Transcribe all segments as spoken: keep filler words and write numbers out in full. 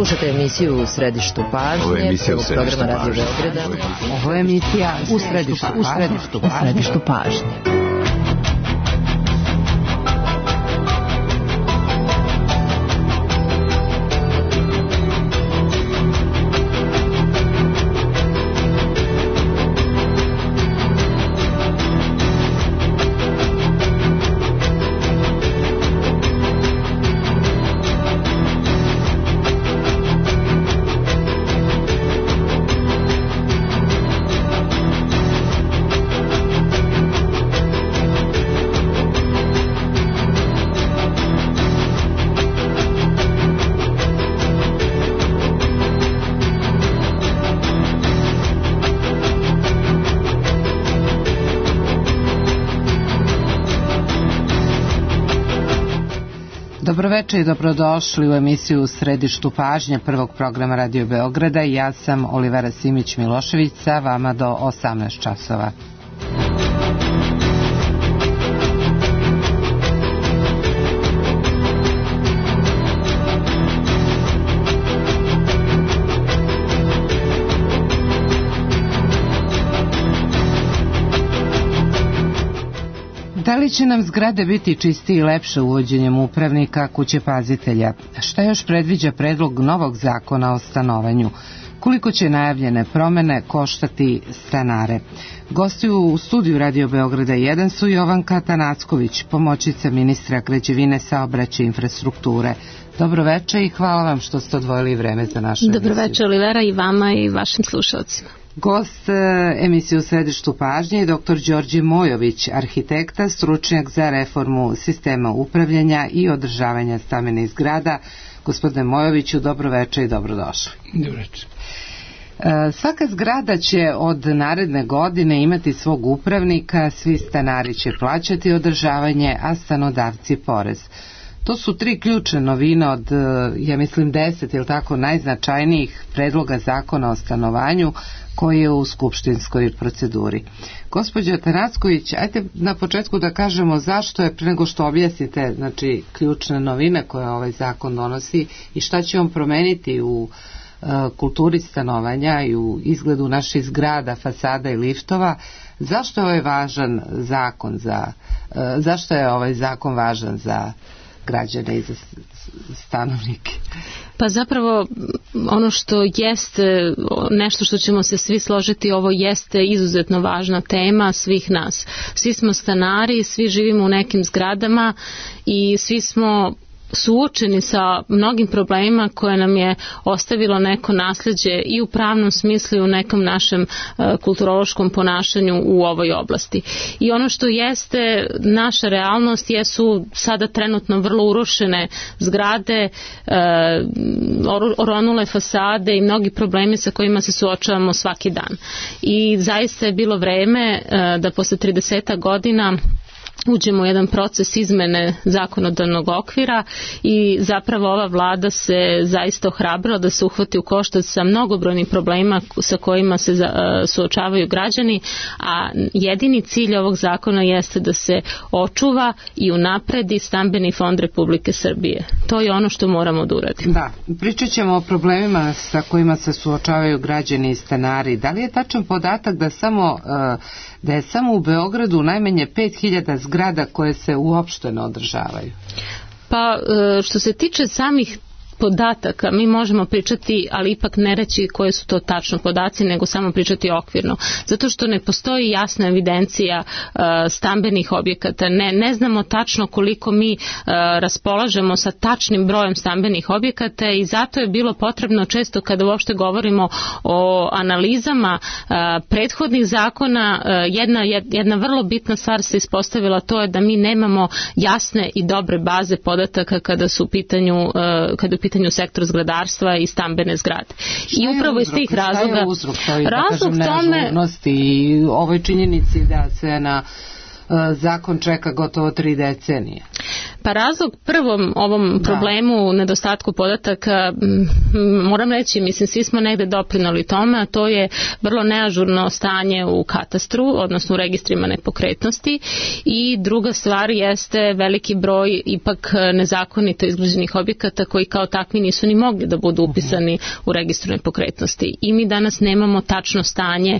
Slušajte emisiju U središtu pažnje. Ovo je emisija U središtu pažnje. Ovo je emisija U središtu pažnje. U središtu pažnje. Dobroveče i dobrodošli u emisiju U središtu pažnje prvog programa Radio Beograda. Ja sam Olivera Simić-Milošević, sa vama do osamnaest časova. Da li će nam zgrade biti čistije i lepše uvođenjem upravnika kuće pazitelja? Šta još predviđa predlog novog zakona o stanovanju? Koliko će najavljene promene koštati stanare? Gosti u studiju Radio Beograda jedan su Jovanka Tanacković, pomoćnica ministra građevine, saobraćaja i infrastrukture. Dobroveče i hvala vam što ste odvojili vreme za našu emisiju. Dobroveče Olivera, i vama i vašim slušalcima. Gost emisije U središtu pažnje je doktor Đorđe Mojović, arhitekta, stručnjak za reformu sistema upravljanja i održavanja stambenih zgrada. Gospodine Mojoviću, dobroveče i dobrodošli. Dobroveče. Svaka zgrada će od naredne godine imati svog upravnika, svi stanari će plaćati održavanje, a stanodavci porez. To su tri ključne novine od, ja mislim, deset ili tako najznačajnijih predloga zakona o stanovanju koji je u skupštinskoj proceduri. Gospođo Tanacković, ajde na početku da kažemo zašto je, pre nego što objasnite, znači, ključne novine koje ovaj zakon donosi i šta će on promeniti u uh, kulturi stanovanja i u izgledu naših zgrada, fasada i liftova, zašto je ovaj važan zakon za, uh, zašto je ovaj zakon važan za građane i za stanovnike? Pa zapravo ono što jeste, nešto što ćemo se svi složiti, ovo jeste izuzetno važna tema svih nas. Svi smo stanari, svi živimo u nekim zgradama i svi smo suočeni sa mnogim problemima koje nam je ostavilo neko nasleđe i u pravnom smislu i u nekom našem uh, kulturološkom ponašanju u ovoj oblasti. I ono što jeste naša realnost jesu sada trenutno vrlo urušene zgrade, uh, oronule fasade i mnogi problemi sa kojima se suočavamo svaki dan. I zaista je bilo vreme uh, da posle trideset godina uđemo u jedan proces izmene zakonodavnog okvira i zapravo ova vlada se zaista ohrabrila da se uhvati u koštac sa mnogobrojnim problemima sa kojima se suočavaju građani, a jedini cilj ovog zakona jeste da se očuva i unapredi stambeni fond Republike Srbije. To je ono što moramo da uradimo. Da, pričat ćemo o problemima sa kojima se suočavaju građani i stanari. Da li je tačan podatak da samo da je samo u Beogradu najmanje pet hiljada zgrada koje se uopšte ne održavaju? Pa što se tiče samih podataka, mi možemo pričati, ali ipak ne reći koje su to tačno podaci, nego samo pričati okvirno. Zato što ne postoji jasna evidencija uh, stambenih objekata. Ne, ne znamo tačno koliko mi uh, raspolažemo sa tačnim brojem stambenih objekata i zato je bilo potrebno često kada uopšte govorimo o analizama uh, prethodnih zakona, uh, jedna, jedna vrlo bitna stvar se ispostavila, to je da mi nemamo jasne i dobre baze podataka kada su u pitanju, uh, kada u pitanju sektor zgradarstva i stambene zgrade. I upravo iz tih razloga... Šta je uzrok? Razlog tome... I ovoj činjenici da se na zakon čeka gotovo tri decenije. Pa razlog prvom ovom problemu, da. nedostatku podataka, moram reći, mislim, svi smo negde doprinali tome, a to je vrlo neažurno stanje u katastru, odnosno u registrima nepokretnosti, i druga stvar jeste veliki broj ipak nezakonito izgrađenih objekata koji kao takvi nisu ni mogli da budu upisani u registru nepokretnosti. I mi danas nemamo tačno stanje,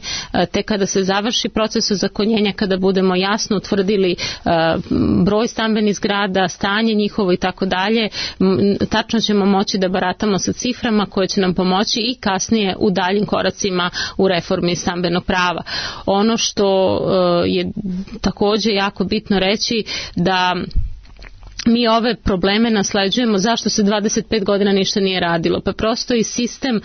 te kada se završi proces ozakonjenja, kada budemo jasno utvrdili broj stambenih zgrada, stanje njihovo i tako dalje, tačno ćemo moći da baratamo sa ciframa koje će nam pomoći i kasnije u daljim koracima u reformi stambenog prava. Ono što je takođe jako bitno reći, da mi ove probleme nasleđujemo. Zašto se dvadeset pet godina ništa nije radilo? Pa prosto i sistem uh,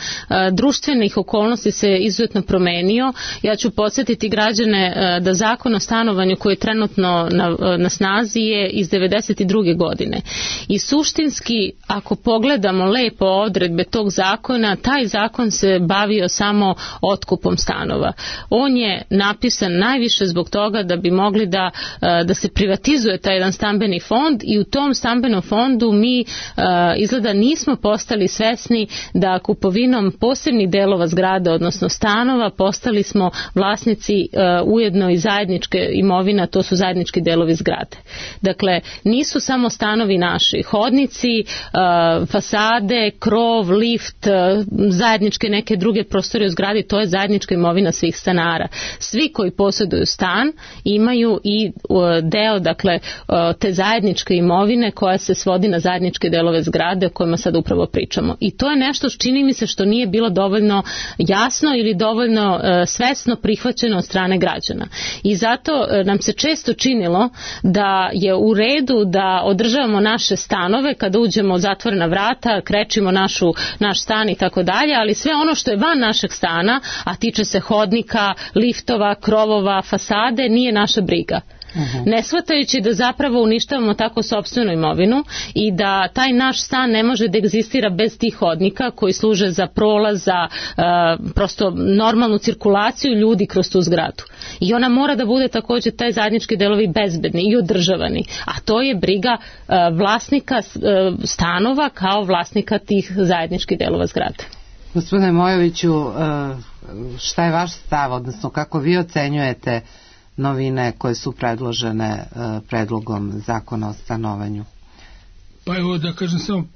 društvenih okolnosti se izuzetno promenio. Ja ću podsjetiti građane uh, da zakon o stanovanju koji je trenutno na, uh, na snazi je iz devedeset druge godine. I suštinski, ako pogledamo lepo odredbe tog zakona, taj zakon se bavio samo otkupom stanova. On je napisan najviše zbog toga da bi mogli da, uh, da se privatizuje taj jedan stambeni fond, i u tom stambenom fondu mi uh, izgleda nismo postali svesni da kupovinom posebnih delova zgrada, odnosno stanova, postali smo vlasnici uh, ujedno i zajedničke imovina, to su zajednički delovi zgrade. Dakle, nisu samo stanovi naši, hodnici, uh, fasade, krov, lift, uh, zajedničke neke druge prostore u zgradi, to je zajednička imovina svih stanara. Svi koji posjeduju stan imaju i uh, deo, dakle, uh, te zajedničke imovine koja se svodi na zajedničke delove zgrade o kojima sad upravo pričamo. I to je nešto što čini mi se što nije bilo dovoljno jasno ili dovoljno uh, svesno prihvaćeno od strane građana. I zato uh, nam se često činilo da je u redu da održavamo naše stanove kada uđemo od zatvorena vrata, krečimo našu, naš stan i tako dalje, ali sve ono što je van našeg stana, a tiče se hodnika, liftova, krovova, fasade, nije naša briga. Uh-huh. Ne shvatajući da zapravo uništavamo tako sopstvenu imovinu i da taj naš stan ne može da egzistira bez tih hodnika koji služe za prolaz, za uh, prosto normalnu cirkulaciju ljudi kroz tu zgradu. I ona mora da bude također taj zajednički delovi bezbedni i održavani. A to je briga uh, vlasnika uh, stanova kao vlasnika tih zajedničkih delova zgrade. Gospodine Mojoviću, uh, šta je vaš stav, odnosno kako vi ocenjujete novine koje su predložene uh, predlogom zakona o stanovanju? Pa evo da kažem samo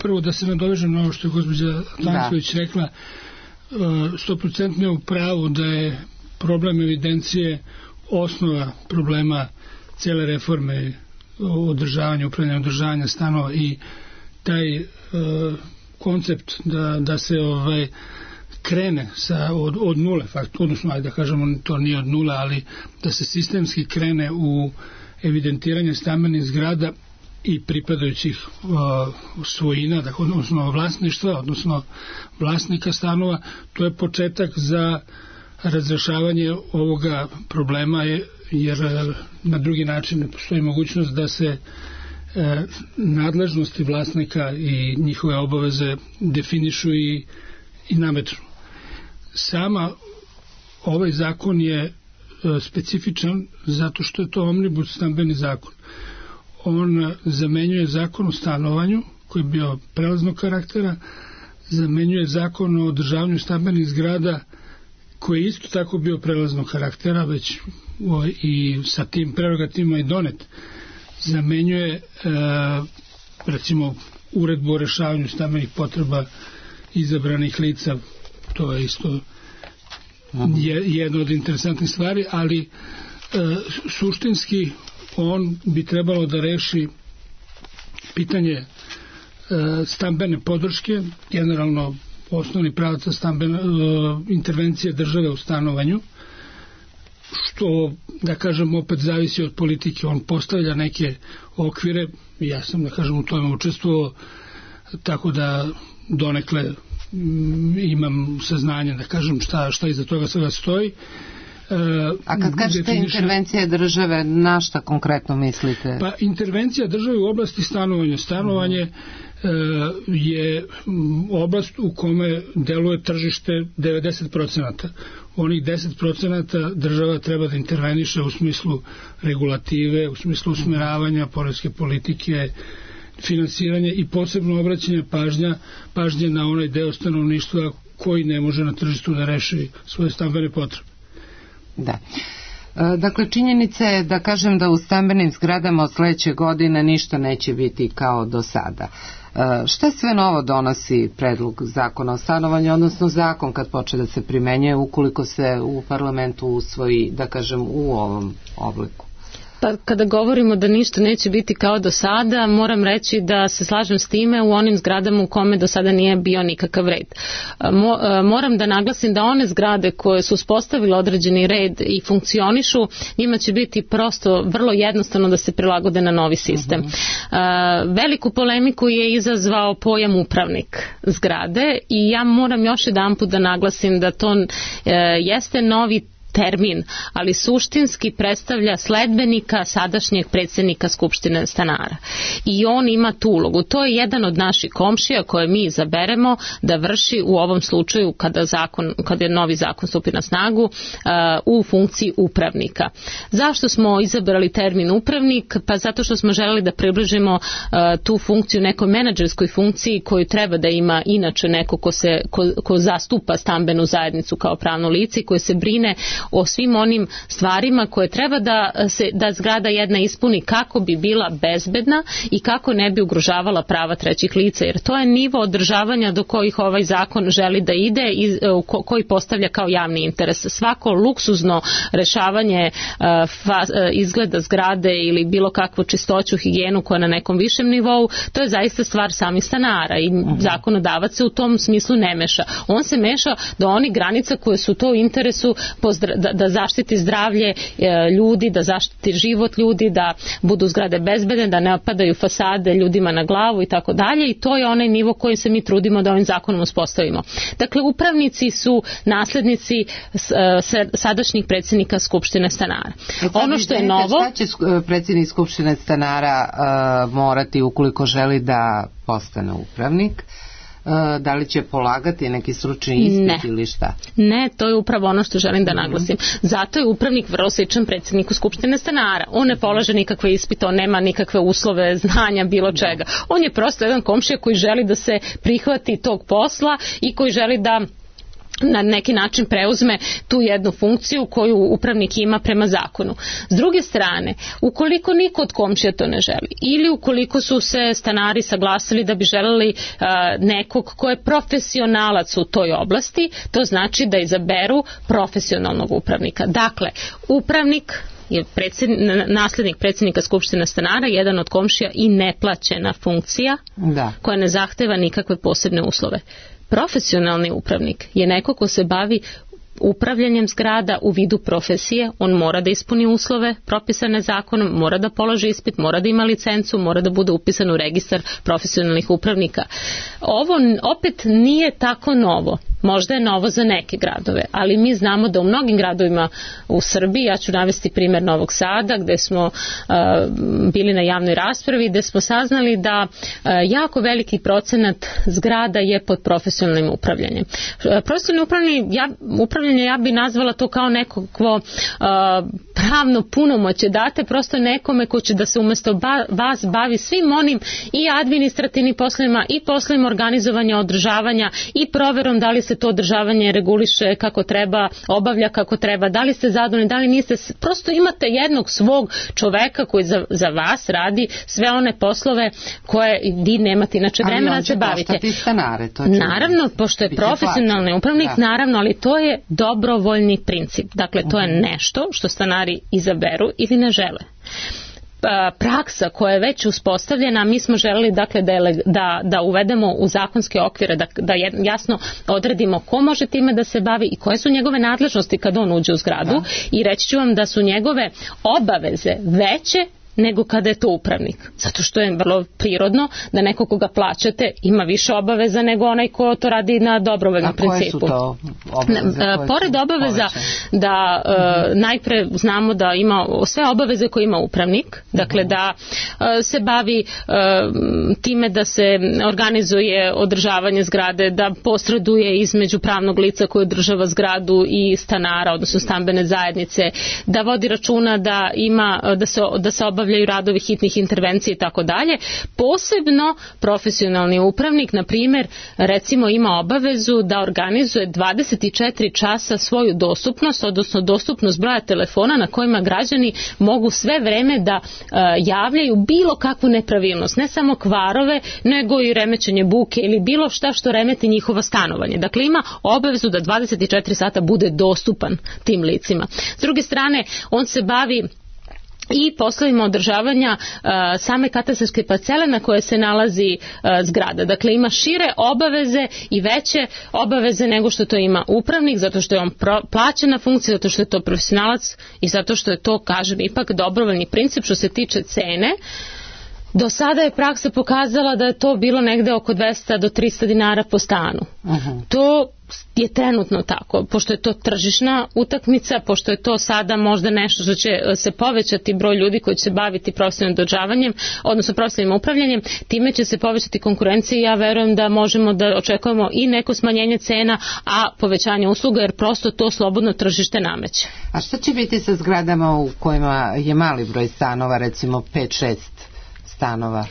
prvo da se nadovežem na ovo što je gospođa Tanković da. rekla, sto procentno je u pravu da je problem evidencije osnova problema cijele reforme održavanja, upravljanja održavanja stanova, i taj uh, koncept da, da se ovaj krene sa, od, od nule, fakt, odnosno, ajde da kažemo, to nije od nule, ali da se sistemski krene u evidentiranje stambenih zgrada i pripadajućih uh, svojina, dakle, odnosno vlasništva, odnosno vlasnika stanova, to je početak za razrešavanje ovoga problema, je, jer na drugi način ne postoji mogućnost da se e, nadležnosti vlasnika i njihove obaveze definišu i, i nametnu. Sama ovaj zakon je e, specifičan zato što je to omnibus stambeni zakon. On zamenjuje zakon o stanovanju koji je bio prelaznog karaktera, zamenjuje zakon o održavanju stambenih zgrada koji je isto tako bio prelaznog karaktera, već o, i sa tim prerogativima i donet. Zamenjuje e, recimo uredbu o rešavanju stambenih potreba izabranih lica, to je isto je, jedna od interesantnih stvari, ali e, suštinski on bi trebalo da reši pitanje e, stambene podrške, generalno osnovni pravac stambene, e, intervencije države u stanovanju, što, da kažem, opet zavisi od politike. On postavlja neke okvire, ja sam, da kažem, u tome učestvovao, tako da donekle m, imam saznanje, da kažem, šta, šta iza toga svega stoji. A kad kažete definiše... intervencija države, na šta konkretno mislite? Pa intervencija države u oblasti stanovanja. Stanovanje uh, je oblast u kome deluje tržište devedeset procenata. onih deset procenata država treba da interveniše u smislu regulative, u smislu usmeravanja poreske politike, finansiranja i posebno obraćanje pažnja, pažnje na onaj deo stanovništva koji ne može na tržištu da reši svoje stambene potrebe. Da. Dakle, činjenica je da kažem da u stambenim zgradama od sledeće godine ništa neće biti kao do sada. Šta sve novo donosi predlog zakona o stanovanju, odnosno zakon kad počne da se primenjuje ukoliko se u parlamentu usvoji, da kažem, u ovom obliku? Pa kada govorimo da ništa neće biti kao do sada, moram reći da se slažem s time u onim zgradama u kome do sada nije bio nikakav red. Mo, moram da naglasim da one zgrade koje su uspostavile određeni red i funkcionišu, njima će biti prosto vrlo jednostavno da se prilagode na novi sistem. Uh-huh. Veliku polemiku je izazvao pojam upravnik zgrade i ja moram još jedanput da naglasim da to uh, jeste novi termin, ali suštinski predstavlja sledbenika sadašnjeg predsjednika Skupštine stanara. I on ima tu ulogu. To je jedan od naših komšija koje mi izaberemo da vrši u ovom slučaju kada, zakon, kada je novi zakon stupi na snagu uh, u funkciji upravnika. Zašto smo izabrali termin upravnik? Pa zato što smo želeli da približimo uh, tu funkciju nekoj menadžerskoj funkciji koju treba da ima inače neko ko, se, ko, ko zastupa stambenu zajednicu kao pravno lice i koje se brine o svim onim stvarima koje treba da se da zgrada jedna ispuni kako bi bila bezbedna i kako ne bi ugrožavala prava trećih lica, jer to je nivo održavanja do kojih ovaj zakon želi da ide i koji postavlja kao javni interes. Svako luksuzno rešavanje fa, izgleda zgrade ili bilo kakvu čistoću, higijenu koja je na nekom višem nivou, to je zaista stvar samih stanara i uh-huh. zakonodavac se u tom smislu ne meša. On se meša do onih granica koje su to u interesu pozdra, da, da zaštiti zdravlje e, ljudi, da zaštiti život ljudi, da budu zgrade bezbedne, da ne opadaju fasade ljudima na glavu i tako dalje, i to je onaj nivo koji se mi trudimo da ovim zakonom uspostavimo. Dakle, upravnici su naslednici s, s, sadašnjih predsjednika Skupštine stanara. E, ono što je novo... Šta će predsjednik Skupštine stanara uh, morati ukoliko želi da postane upravnik? Da li će polagati neki stručni ispit ne. ili šta? Ne, to je upravo ono što želim da naglasim. Zato je upravnik vrlo sličan predsjedniku Skupštine stanara. On ne polaže nikakve ispite, on nema nikakve uslove, znanja, bilo čega. On je prosto jedan komšija koji želi da se prihvati tog posla i koji želi da na neki način preuzme tu jednu funkciju koju upravnik ima prema zakonu. S druge strane, ukoliko niko od komšija to ne želi ili ukoliko su se stanari saglasili da bi želeli uh, nekog ko je profesionalac u toj oblasti, to znači da izaberu profesionalnog upravnika. Dakle, upravnik je predsjednik, naslednik predsjednika Skupštine stanara, jedan od komšija i neplaćena funkcija da. koja ne zahteva nikakve posebne uslove. Profesionalni upravnik je neko ko se bavi upravljanjem zgrada u vidu profesije, on mora da ispuni uslove propisane zakonom, mora da položi ispit, mora da ima licencu, mora da bude upisan u registar profesionalnih upravnika. Ovo opet nije tako novo. Možda je novo za neke gradove, ali mi znamo da u mnogim gradovima u Srbiji, ja ću navesti primjer Novog Sada, gde smo uh, bili na javnoj raspravi, gde smo saznali da uh, jako veliki procenat zgrada je pod profesionalnim upravljanjem. Uh, profesionalno upravljanje, ja, upravljanje, ja bi nazvala to kao nekakvo uh, pravno punomoće. Date prosto nekome ko će da se umjesto ba, vas bavi svim onim i administrativnim poslovima i poslovima organizovanja, održavanja i proverom da li se to održavanje reguliše kako treba, obavlja kako treba, da li ste zadovoljni, da li niste, prosto imate jednog svog čoveka koji za, za vas radi sve one poslove koje vi nemate inače vremena da se bavite. Ali on će stanare, to će naravno, pošto je profesionalni upravnik, da. naravno, ali to je dobrovoljni princip. Dakle, to je nešto što stanari izaberu ili ne žele. Praksa koja je već uspostavljena, mi smo želeli dakle da, je, da, da uvedemo u zakonske okvire, da, da jasno odredimo ko može time da se bavi i koje su njegove nadležnosti kad on uđe u zgradu, da. I reći ću vam da su njegove obaveze veće nego kada je to upravnik. Zato što je vrlo prirodno da neko koga plaćate ima više obaveza nego onaj ko to radi na dobrovoljnom principu. A koje su to obaveze? Na, pored obaveza povećane? da uh, najpre znamo da ima sve obaveze koje ima upravnik, dakle da uh, se bavi uh, time da se organizuje održavanje zgrade, da posreduje između pravnog lica koje održava zgradu i stanara, odnosno stambene zajednice, da vodi računa da ima da se da se obavljaju radovi hitnih intervencija i tako dalje. Posebno profesionalni upravnik, na primjer, recimo ima obavezu da organizuje dvadeset četiri časa svoju dostupnost, odnosno dostupnost broja telefona na kojima građani mogu sve vreme da uh, javljaju bilo kakvu nepravilnost, ne samo kvarove, nego i remećenje buke ili bilo šta što remeti njihovo stanovanje. Dakle, ima obavezu da dvadeset četiri sata bude dostupan tim licima. S druge strane, on se bavi i poslovima održavanja uh, same katastarske parcele na koje se nalazi uh, zgrada. Dakle, ima šire obaveze i veće obaveze nego što to ima upravnik, zato što je on pro, plaćena funkcija, zato što je to profesionalac i zato što je to, kažem, ipak dobrovoljni princip što se tiče cene. Do sada je praksa pokazala da je to bilo negde oko dvesta do trista dinara po stanu. Uh-huh. To je trenutno tako, pošto je to tržišna utakmica, pošto je to sada možda nešto što će se povećati broj ljudi koji će se baviti profesionalnim održavanjem, odnosno profesionalnim upravljanjem, time će se povećati konkurencija i ja verujem da možemo da očekujemo i neko smanjenje cena, a povećanje usluga, jer prosto to slobodno tržište nameće. A šta će biti sa zgradama u kojima je mali broj stanova, recimo pet šest stanova?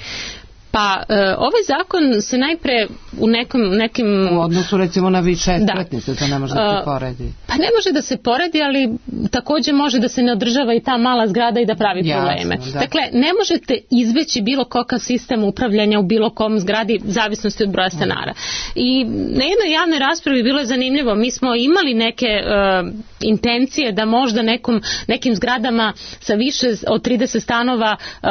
Pa e, ovaj zakon se najpre u nekom, nekim... U odnosu recimo na više spletnice, to ne može da se poredi. Pa ne može da se poredi, ali također može da se ne održava i ta mala zgrada i da pravi Jasno, probleme. Da. Dakle, ne možete izbeći bilo kakav sistem upravljanja u bilo kom zgradi, zavisnosti od broja stanara. I na jednoj javnoj raspravi bilo je zanimljivo, mi smo imali neke uh, intencije da možda nekom, nekim zgradama sa više od trideset stanova uh,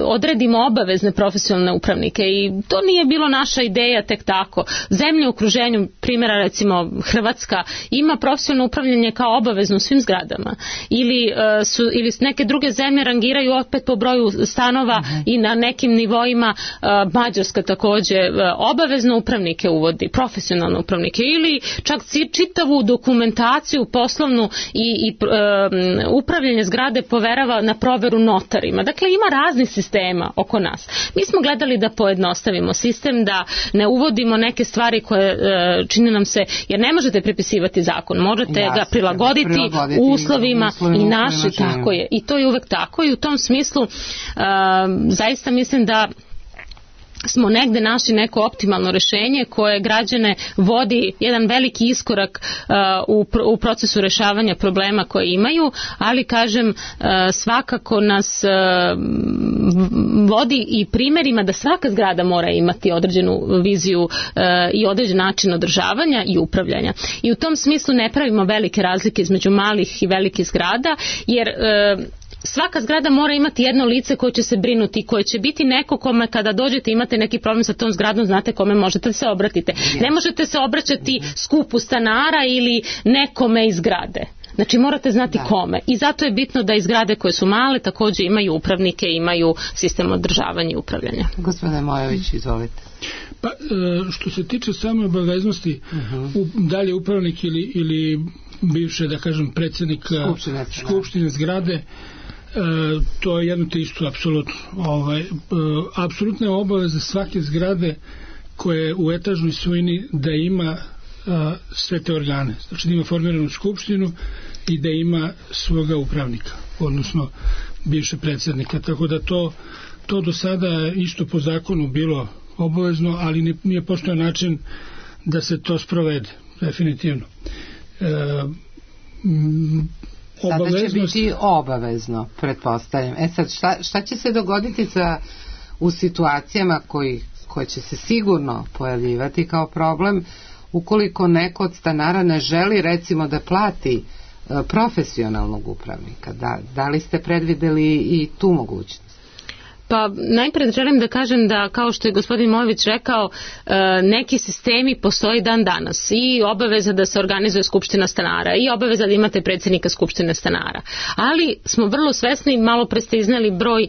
odredimo obavezne profesionalne upravnike i to nije bilo naša ideja tek tako. Zemlje u okruženju, primjera recimo Hrvatska, ima profesionalno upravljanje kao obavezno u svim zgradama. Ili, uh, su, ili neke druge zemlje rangiraju opet po broju stanova uh-huh. i na nekim nivoima uh, Mađarska također uh, obavezno upravnike uvodi, profesionalne upravnike ili čak čitavu dokumentaciju poslovnu i, i uh, upravljanje zgrade poverava na proveru notarima. Dakle, ima raznih sistema oko nas. Mi smo gledali da pojednostavimo sistem, da ne uvodimo neke stvari koje e, čini nam se, jer ne možete prepisivati zakon, možete Jasne, ga prilagoditi, prilagoditi uslovima, uslovima i naši, tako je. I to je uvek tako i u tom smislu e, zaista mislim da smo negde našli neko optimalno rešenje koje građane vodi jedan veliki iskorak uh, u, u procesu rešavanja problema koje imaju, ali kažem uh, svakako nas uh, vodi i primjerima da svaka zgrada mora imati određenu viziju uh, i određen način održavanja i upravljanja. I u tom smislu ne pravimo velike razlike između malih i velikih zgrada, jer uh, svaka zgrada mora imati jedno lice koje će se brinuti, koje će biti neko kome kada dođete imate neki problem sa tom zgradom, znate kome možete da se obratite. Ne možete se obraćati skupu stanara ili nekome iz zgrade. Znači morate znati da. Kome. I zato je bitno da i zgrade koje su male također imaju upravnike, imaju sistem održavanja i upravljanja. Gospodine Mojović, izvolite. Pa što se tiče same obaveznosti, uh-huh. da li je upravnik ili, ili bivše, da kažem, predsjednik Skupštine, skupštine zgrade, E, to je jedno te isto apsolutno. Ovaj, e, apsolutna je obaveza svake zgrade koje u etažnoj svojini da ima a, sve te organe. Znači da ima formiranu skupštinu i da ima svoga upravnika, odnosno bivše predsjednika. Tako da to, to do sada isto po zakonu bilo obavezno, ali nije postojao način da se to sprovede, definitivno. E, m, Sada će biti obavezno, pretpostavljam. E sad, šta, šta će se dogoditi sa, u situacijama koji, koje će se sigurno pojavljivati kao problem ukoliko neko od stanara ne želi recimo da plati e, profesionalnog upravnika? Da, da li ste predvideli i tu mogućnost? Pa najpred želim da kažem da, kao što je gospodin Mojović rekao, neki sistemi postoji dan danas i obaveza da se organizuje skupština stanara i obaveza da imate predsjednika skupštine stanara. Ali smo vrlo svesni, malo pre ste izneli broj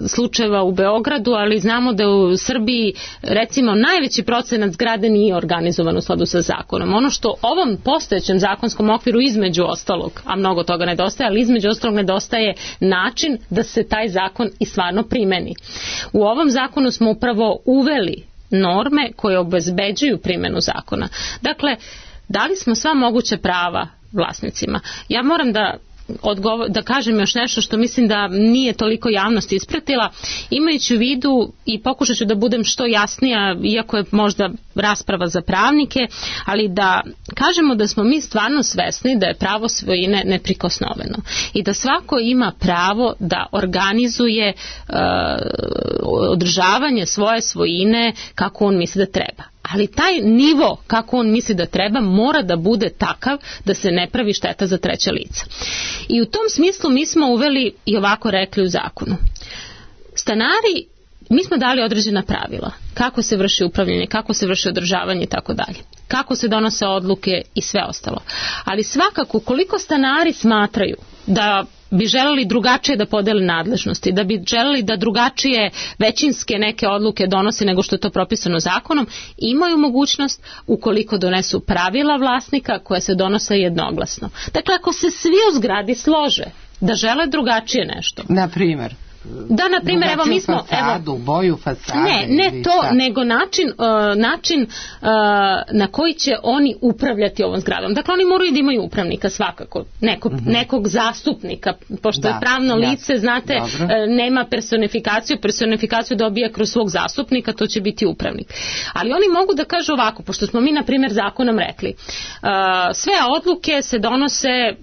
slučajeva u Beogradu, ali znamo da u Srbiji recimo najveći procenat zgrade nije organizovan u skladu sa zakonom. Ono što ovom postojećem zakonskom okviru između ostalog, a mnogo toga nedostaje, ali između ostalog nedostaje način da se taj zakon i stvarno primeni. U ovom zakonu smo upravo uveli norme koje obezbeđuju primjenu zakona. Dakle, dali smo sva moguća prava vlasnicima. Ja moram da Odgovor, da kažem još nešto što mislim da nije toliko javnost ispratila, imajući u vidu i pokušat ću da budem što jasnija, iako je možda rasprava za pravnike, ali da kažemo da smo mi stvarno svesni da je pravo svojine neprikosnoveno i da svako ima pravo da organizuje uh, održavanje svoje svojine kako on misli da treba. Ali taj nivo kako on misli da treba mora da bude takav da se ne pravi šteta za treća lica. I u tom smislu mi smo uveli i ovako rekli u zakonu. Stanari, mi smo dali određena pravila. Kako se vrši upravljanje, kako se vrši održavanje i tako dalje. Kako se donose odluke i sve ostalo. Ali svakako koliko stanari smatraju da bi želeli drugačije da podele nadležnosti, da bi želeli da drugačije većinske neke odluke donose nego što je to propisano zakonom, imaju mogućnost ukoliko donesu pravila vlasnika koje se donose jednoglasno. Dakle, ako se svi u zgradi slože da žele drugačije nešto. Na primjer? Da, na primjer, evo mi smo... fasadu, evo, boju fasade. Ne, ne to, šta? nego način, uh, način uh, na koji će oni upravljati ovom zgradom. Dakle, oni moraju da imaju upravnika svakako, nekog, mm-hmm. nekog zastupnika, pošto da, je pravno lice, jasno, znate, uh, nema personifikaciju, personifikaciju dobija kroz svog zastupnika, to će biti upravnik. Ali oni mogu da kažu ovako, pošto smo mi, na primjer, zakonom rekli, uh, sve odluke se donose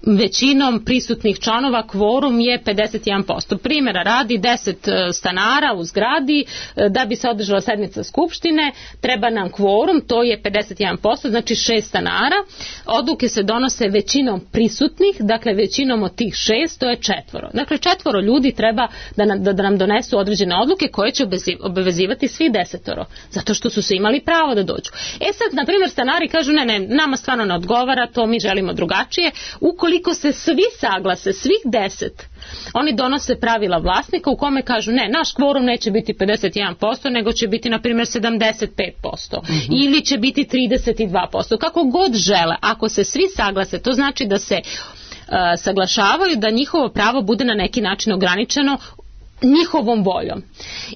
većinom prisutnih članova, kvorum je pedeset jedan posto. Primjera radi, deset stanara u zgradi, da bi se održala sednica skupštine, treba nam kvorum, to je pedeset jedan posto, znači šest stanara. Odluke se donose većinom prisutnih, dakle većinom od tih šest, to je četvoro. Dakle, četvoro ljudi treba da nam, da, da nam donesu određene odluke koje će obavezivati svi desetoro, zato što su se imali pravo da dođu. E sad, na primjer, stanari kažu, ne, ne, nama stvarno ne odgovara, to mi želimo drugačije. Ukoliko Koliko se svi saglase, svih deset, oni donose pravila vlasnika u kome kažu ne, naš kvorum neće biti pedeset jedan posto, nego će biti na primjer sedamdeset pet posto mm-hmm. ili će biti trideset dva posto, kako god žele. Ako se svi saglase, to znači da se uh, saglašavaju da njihovo pravo bude na neki način ograničeno njihovom voljom.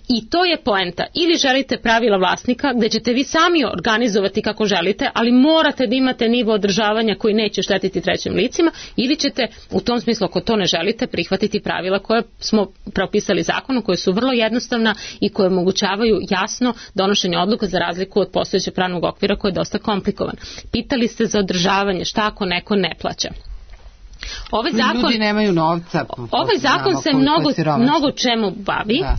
I to je poenta. Ili želite pravila vlasnika gdje ćete vi sami organizovati kako želite, ali morate da imate nivo održavanja koji neće štetiti trećim licima, ili ćete u tom smislu, ako to ne želite, prihvatiti pravila koje smo propisali zakonu, koje su vrlo jednostavna i koje omogućavaju jasno donošenje odluka za razliku od postojećeg pravnog okvira koji je dosta komplikovan. Pitali ste za održavanje, šta ako neko ne plaća? Ovaj zakon, ljudi nemaju novca. Ovaj zakon se mnogo, mnogo čemu bavi da.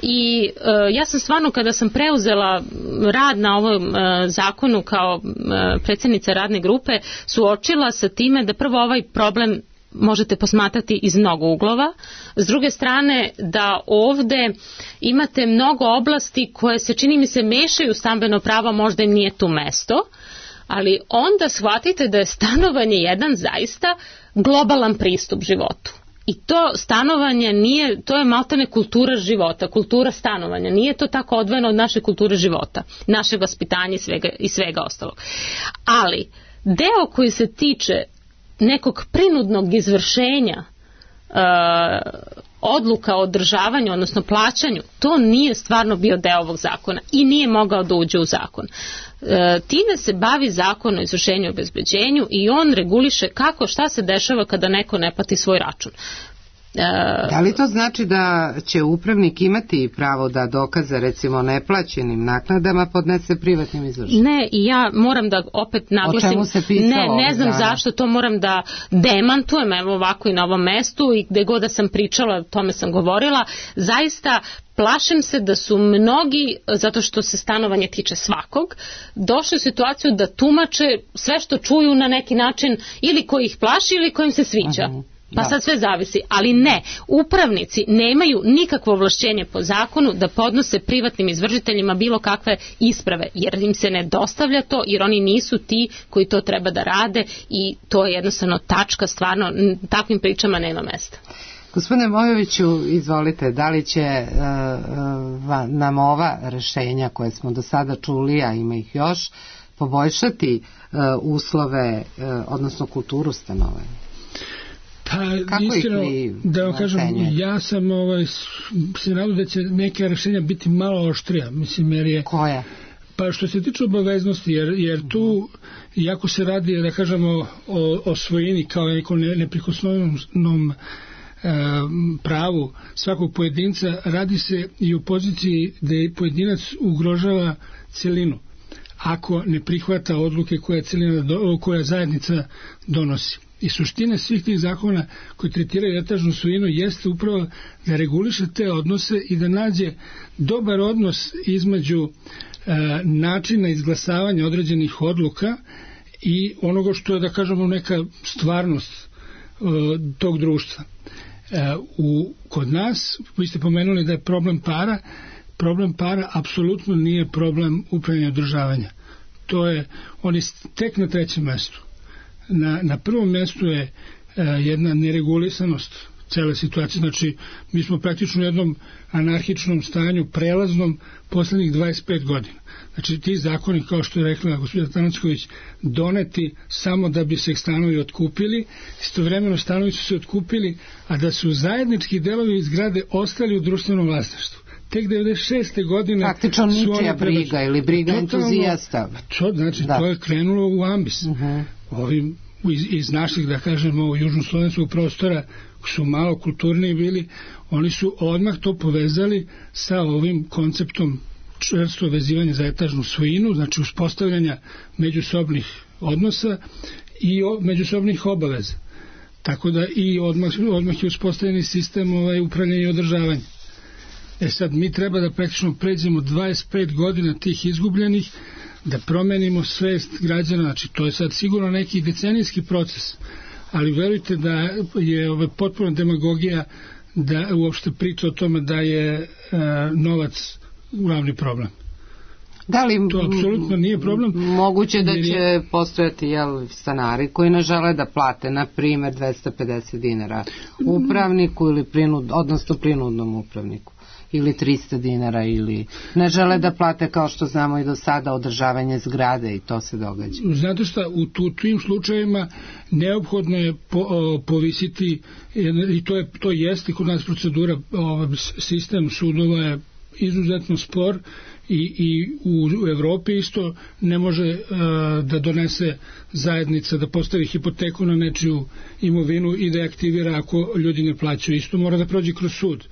I uh, ja sam stvarno, kada sam preuzela rad na ovom uh, zakonu kao uh, predsjednica radne grupe, suočila sa time da prvo ovaj problem možete posmatrati iz mnogo uglova. S druge strane, da ovde imate mnogo oblasti koje se, čini mi se, mešaju stambeno pravo, možda im nije tu mesto, ali onda shvatite da je stanovanje jedan zaista globalan pristup životu. I to stanovanje nije, to je maltene kultura života, kultura stanovanja. Nije to tako odvojeno od naše kulture života, našeg vaspitanja i svega, i svega ostalog. Ali deo koji se tiče nekog prinudnog izvršenja uh, odluka o održavanju, odnosno plaćanju, to nije stvarno bio deo ovog zakona i nije mogao da uđe u zakon. E, time se bavi zakon o izvršenju i obezbeđenju i on reguliše kako, šta se dešava kada neko ne plati svoj račun. Da li to znači da će upravnik imati pravo da dokaze recimo neplaćenim naknadama podnese privatnim izvršenjem? Ne, i ja moram da opet naglasim, o čemu se pisalo, ne, ne znam dana. Zašto, to moram da demantujem, evo ovako i na ovom mestu, i gde god da sam pričala, o tome sam govorila, zaista plašim se da su mnogi, zato što se stanovanje tiče svakog, došli u situaciju da tumače sve što čuju na neki način, ili koji ih plaši ili kojim se sviđa. Uh-huh. Pa sad sve zavisi, ali ne, upravnici nemaju nikakvo ovlašćenje po zakonu da podnose privatnim izvršiteljima bilo kakve isprave, jer im se ne dostavlja to, jer oni nisu ti koji to treba da rade i to je jednostavno tačka, stvarno takvim pričama nema mesta. Gospodine Mojoviću, izvolite, da li će uh, uh, nam ova rešenja koje smo do sada čuli, a ima ih još, poboljšati uh, uslove, uh, odnosno kulturu stanovanja? Pa, Kako iskreno, da vam kažem, ocenjujete? ja sam ovaj, se nadam da će neke rešenja biti malo oštrija, mislim, jer je... Koja? Pa što se tiče obaveznosti, jer, jer tu, jako se radi, da kažemo, o, o svojini kao nekom neprikosnovenom pravu svakog pojedinca, radi se i u poziciji da je pojedinac ugrožava celinu ako ne prihvata odluke koje celina, koja zajednica donosi. I suština svih tih zakona koji tretiraju etažnu svojinu jeste upravo da reguliše te odnose i da nađe dobar odnos između e, načina izglasavanja određenih odluka i onoga što je, da kažemo, neka stvarnost e, tog društva. E, u, kod nas, vi ste pomenuli da je problem para, problem para apsolutno nije problem upravljanja i održavanja. To je, on je tek na trećem mestu. Na, na prvom mjestu je e, jedna neregulisanost cele situacije, znači mi smo praktično u jednom anarhičnom stanju, prelaznom, poslednjih dvadeset pet godina. Znači ti zakoni, kao što je rekla gospođa Tanacković, doneti samo da bi se stanovi otkupili, istovremeno stanovi su se otkupili, a da su zajednički delovi iz zgrade ostali u društvenom vlasništvu. Tek devedeset šeste godine praktično ničija briga ili briga entuzijasta. To, znači, da. To je krenulo u ambis. Uh-huh. Ovim iz, iz naših, da kažemo, južnoslovenskog prostora su malo kulturniji bili, oni su odmah to povezali sa ovim konceptom čvrsto vezivanja za etažnu svojinu, znači uspostavljanja međusobnih odnosa i o, međusobnih obaveza. Tako da i odmah, odmah je uspostavljeni sistem ovaj, upravljanja i održavanja. E sad, mi treba da praktično pređemo dvadeset pet godina tih izgubljenih, da promenimo svest građana, znači to je sad sigurno neki decenijski proces, ali verujte da je ove potpuno demagogija da uopšte priča o tome da je e, novac glavni problem. Da li to apsolutno nije problem? Moguće da će je... postojati jel, stanari koji ne žele da plate, na primjer, dvesta pedeset dinara upravniku ili prinud, odnosno prinudnom upravniku, ili trista dinara, ili ne žele da plate, kao što znamo i do sada, održavanje zgrade, i to se događa. Znate šta, u tu, tim slučajevima neophodno je po, o, povisiti, i to, je, to jeste kod nas procedura, o, sistem sudova je izuzetno spor i, i u, u Evropi isto ne može a, da donese zajednica, da postavi hipoteku na nečiju imovinu i da je aktivira ako ljudi ne plaćaju. Isto mora da prođe kroz sud,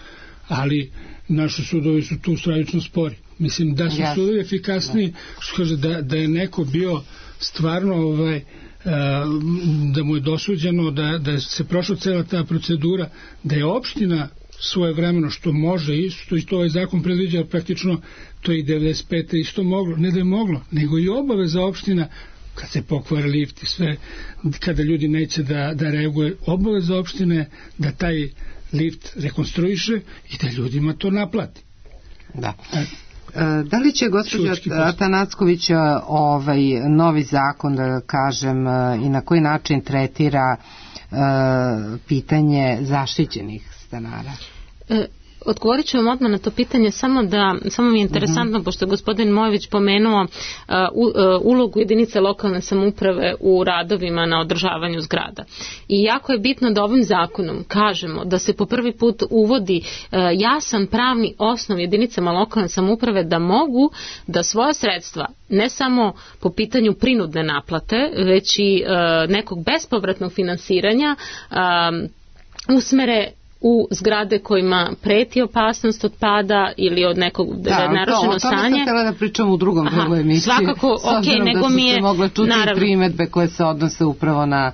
ali naši sudovi su tu stravično spori. Mislim da su sudovi efikasniji, što kaže da, da je neko bio stvarno ovaj, da mu je dosuđeno, da, da se prošla cela ta procedura, da je opština svoje vremeno, što može isto, i to ovaj zakon predviđa, praktično to i devedeset pete isto moglo, ne da je moglo, nego i obaveza opština, kad se pokvari lift i sve, kada ljudi neće da, da reaguje, obaveza opštine da taj lift rekonstruiše i da ljudima to naplati. Da. E, da li će gospođa Tanacković ovaj novi zakon, da kažem, i na koji način tretira e, pitanje zaštićenih stanara? E, Odgovorit ću vam odmah na to pitanje, samo da samo mi je interesantno, uh-huh. pošto je gospodin Mojović pomenuo uh, u, uh, ulogu jedinice lokalne samouprave u radovima na održavanju zgrada. I jako je bitno da ovim zakonom kažemo da se po prvi put uvodi uh, jasan pravni osnov jedinicama lokalne samouprave da mogu da svoja sredstva, ne samo po pitanju prinudne naplate, već i uh, nekog bespovratnog finansiranja uh, usmere u zgrade kojima preti opasnost od pada ili od nekog da, narušeno stanje. Da, o tome sam htjela da pričam u drugom drugu emisiji. Svakako, ok, nego mi je... Da su se mogle čuti naravno, primedbe koje se odnose upravo na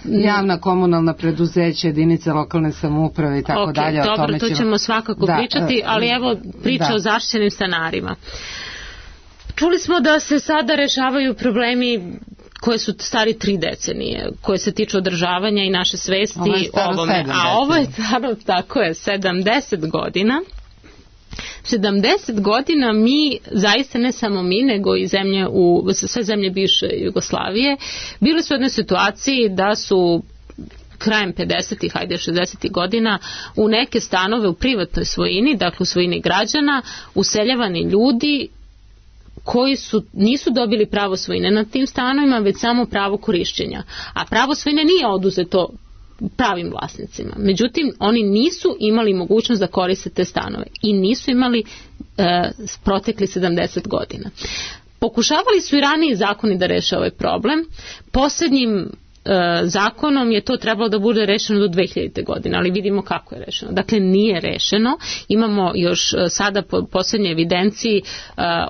javna komunalna preduzeća, jedinice lokalne samouprave i tako okay, dalje. O dobro, tome to ćemo svakako da, pričati, ali evo priča da. o zaštićenim stanarima. Čuli smo da se sada rešavaju problemi koje su stari tri decenije, koje se tiču održavanja i naše svesti o ovome. A ovo je staro, tako je, sedamdeset godina. sedamdeset godina mi, zaista ne samo mi, nego i zemlje u, sve zemlje bivše Jugoslavije, bili su u jednoj situaciji da su krajem pedesetih, hajde šezdesetih godina, u neke stanove u privatnoj svojini, dakle u svojini građana, useljavani ljudi koji su, nisu dobili pravo svojine nad tim stanovima, već samo pravo korišćenja. A pravo svojine nije oduzeto pravim vlasnicima. Međutim, oni nisu imali mogućnost da koriste te stanove i nisu imali e, protekli sedamdeset godina. Pokušavali su i raniji zakoni da reše ovaj problem. Posljednjim zakonom je to trebalo da bude rešeno do dve hiljadite godine, ali vidimo kako je rešeno. Dakle, nije rešeno. Imamo još sada po posljednjoj evidenciji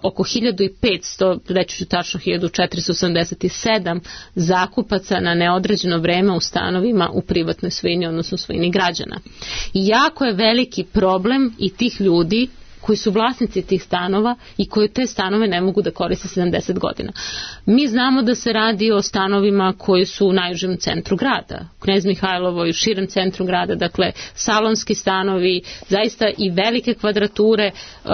oko hiljadu petsto, reći ću tačno hiljadu četiristo osamdeset sedam zakupaca na neodređeno vreme u stanovima u privatnoj svojini, odnosno svojini građana. I jako je veliki problem i tih ljudi koji su vlasnici tih stanova i koji te stanove ne mogu da koriste sedamdeset godina. Mi znamo da se radi o stanovima koji su u najužem centru grada, Knez Mihajlovo i u širem centru grada, dakle salonski stanovi, zaista i velike kvadrature uh,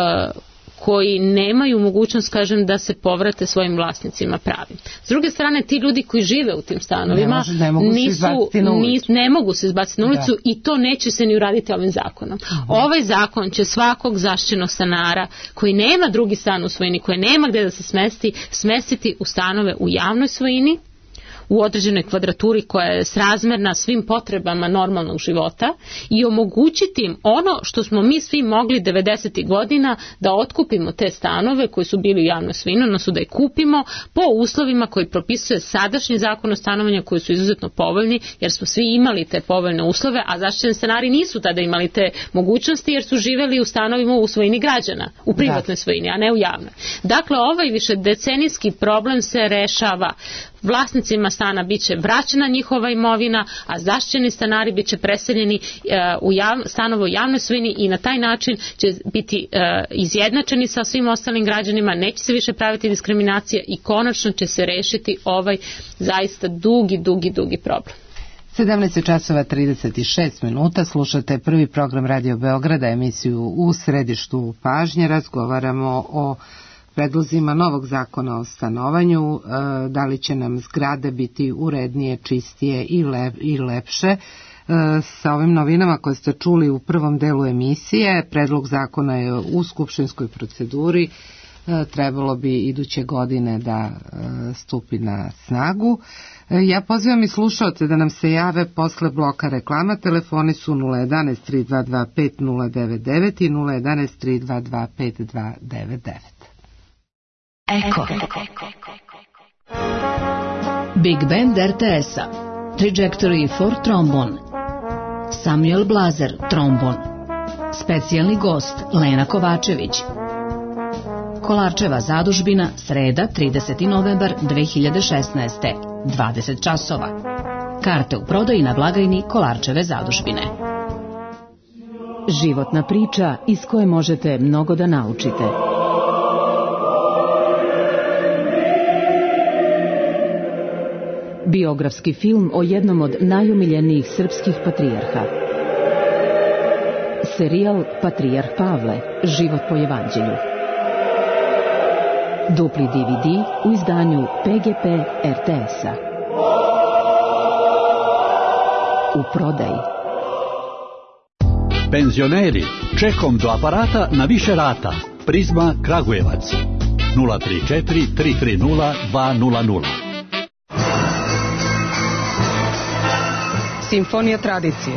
koji nemaju mogućnost, kažem, da se povrate svojim vlasnicima pravim. S druge strane, ti ljudi koji žive u tim stanovima ne, može, ne mogu nisu, se nis, ne mogu se izbaciti na ulicu da. I to neće se ni uraditi ovim zakonom. Uh-huh. Ovaj zakon će svakog zaštićenog stanara koji nema drugi stan u svojini, koji nema gde da se smesti, smestiti u stanove u javnoj svojini, u određenoj kvadraturi koja je srazmerna svim potrebama normalnog života i omogućiti im ono što smo mi svi mogli devedesetih godina da otkupimo te stanove koji su bili u javnoj svojini, odnosno da ih kupimo po uslovima koji propisuje sadašnji zakon o stanovanju koji su izuzetno povoljni, jer smo svi imali te povoljne uslove, a zaštićeni stanari nisu tada imali te mogućnosti jer su živeli u stanovima u svojini građana, u privatnoj svojini, a ne u javnoj. Dakle, ovaj višedecenijski problem se rešava. Vlasnicima stana biće vraćena njihova imovina, a zaštićeni stanari biće preseljeni uh, u jav, stanove u javnoj svojini i na taj način će biti uh, izjednačeni sa svim ostalim građanima, neće se više praviti diskriminacija i konačno će se rešiti ovaj zaista dugi, dugi, dugi problem. sedamnaest časova trideset šest minuta, slušate prvi program Radio Beograda, emisiju U središtu pažnje, razgovaramo o predlozima novog zakona o stanovanju, da li će nam zgrade biti urednije, čistije i, lep, i lepše. Sa ovim novinama koje ste čuli u prvom delu emisije, predlog zakona je u skupštinskoj proceduri, trebalo bi iduće godine da stupi na snagu. Ja pozivam i slušaoce da nam se jave posle bloka reklama. Telefoni su nula jedanaest tri dva dva pet nula devet devet i nula jedanaest tri dva dva pet dva devet devet. Eko. Big Band er te es-a. Trajectory for Trombone. Samuel Blazer, trombon. Specijalni gost Lena Kovačević. Kolarčeva zadužbina, sreda, trideseti novembar dve hiljade šesnaeste. dvadeset časova. Karte u prodaji na blagajni Kolarčeve zadužbine. Životna priča iz koje možete mnogo da naučite. Biografski film o jednom od najomiljenijih srpskih patrijarha. Serijal Patrijarh Pavle, život po evanđelju. Dupli de ve de u izdanju pe ge pe er te es-a. U prodaji. Penzioneri, čekom do aparata na više rata. Prizma Kragujevac. nula tri četiri tri tri nula dva nula nula. Simfonija tradicije.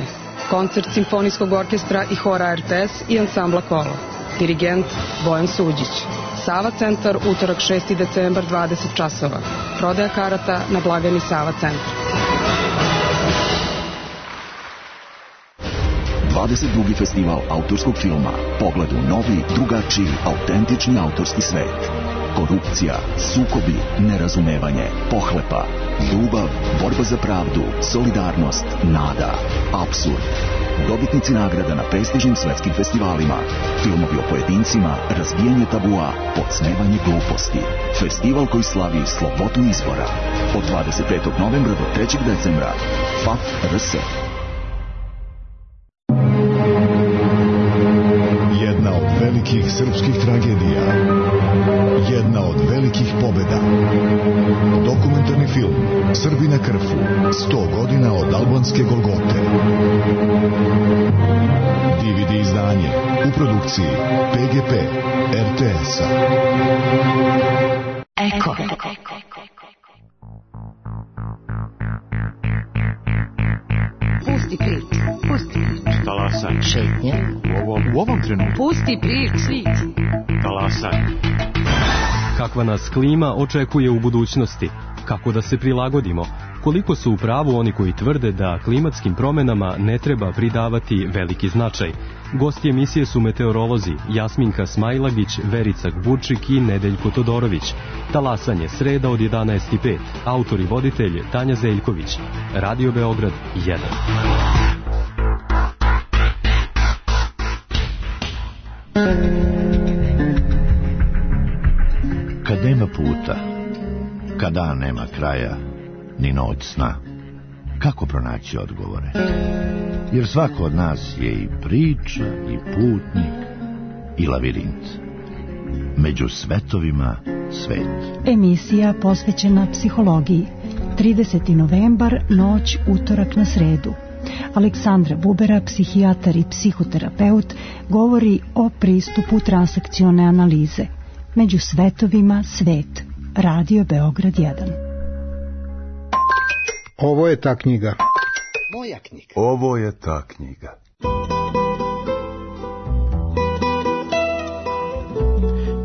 Koncert Simfonijskog orkestra i hora er te es i ansambla Kolo. Dirigent Bojan Suđić. Sava centar, utorak šesti decembar, dvadeset časova. Prodaja karata na blagajni Sava centar. dvadeset drugi festival autorskog filma. Pogled u novi, drugačiji, autentični autorski svet. korupcija, sukobi, nerazumevanje, pohlepa, ljubav, borba za pravdu, solidarnost, nada, apsurd. Dobitnici nagrada na prestižnim svetskim festivalima. Filmovi o pojedincima, razbijanje tabua, podsmevanje gluposti. Festival koji slavi slobodu izbora. Od dvadeset petog novembra do trećeg decembra. F A F R S. Jedna od velikih srpskih tragedija. Jedna od velikih pobjeda. Dokumentarni film Srbi na Krfu. sto godina od albanske Golgote. D V D izdanje u produkciji P G P R T S-a. Eko. Pusti prič, pusti prič. Talasaj. Šetnje. U ovom, u ovom trenutku. Pusti prič, svici. Talasaj. Kakva nas klima očekuje u budućnosti? Kako da se prilagodimo? Koliko su u pravu oni koji tvrde da klimatskim promenama ne treba pridavati veliki značaj? Gosti emisije su meteorolozi Jasminka Smajlagić, Verica Gburčik i Nedeljko Todorović. Talasanje sreda od jedanaest i pet. Autor i voditelj Tanja Zeljković. Radio Beograd jedan. Kad nema puta, kad dan nema kraja, ni noć sna, kako pronaći odgovore? Jer svako od nas je i priča, i putnik, i lavirint. Među svetovima svet. Emisija posvećena psihologiji. trideseti novembar, noć, utorak na sredu. Aleksandra Bubera, psihijatar i psihoterapeut, govori o pristupu transakcione analize. Među svetovima svet. Radio Beograd jedan. Ovo je ta knjiga. Moja knjiga. Ovo je ta knjiga.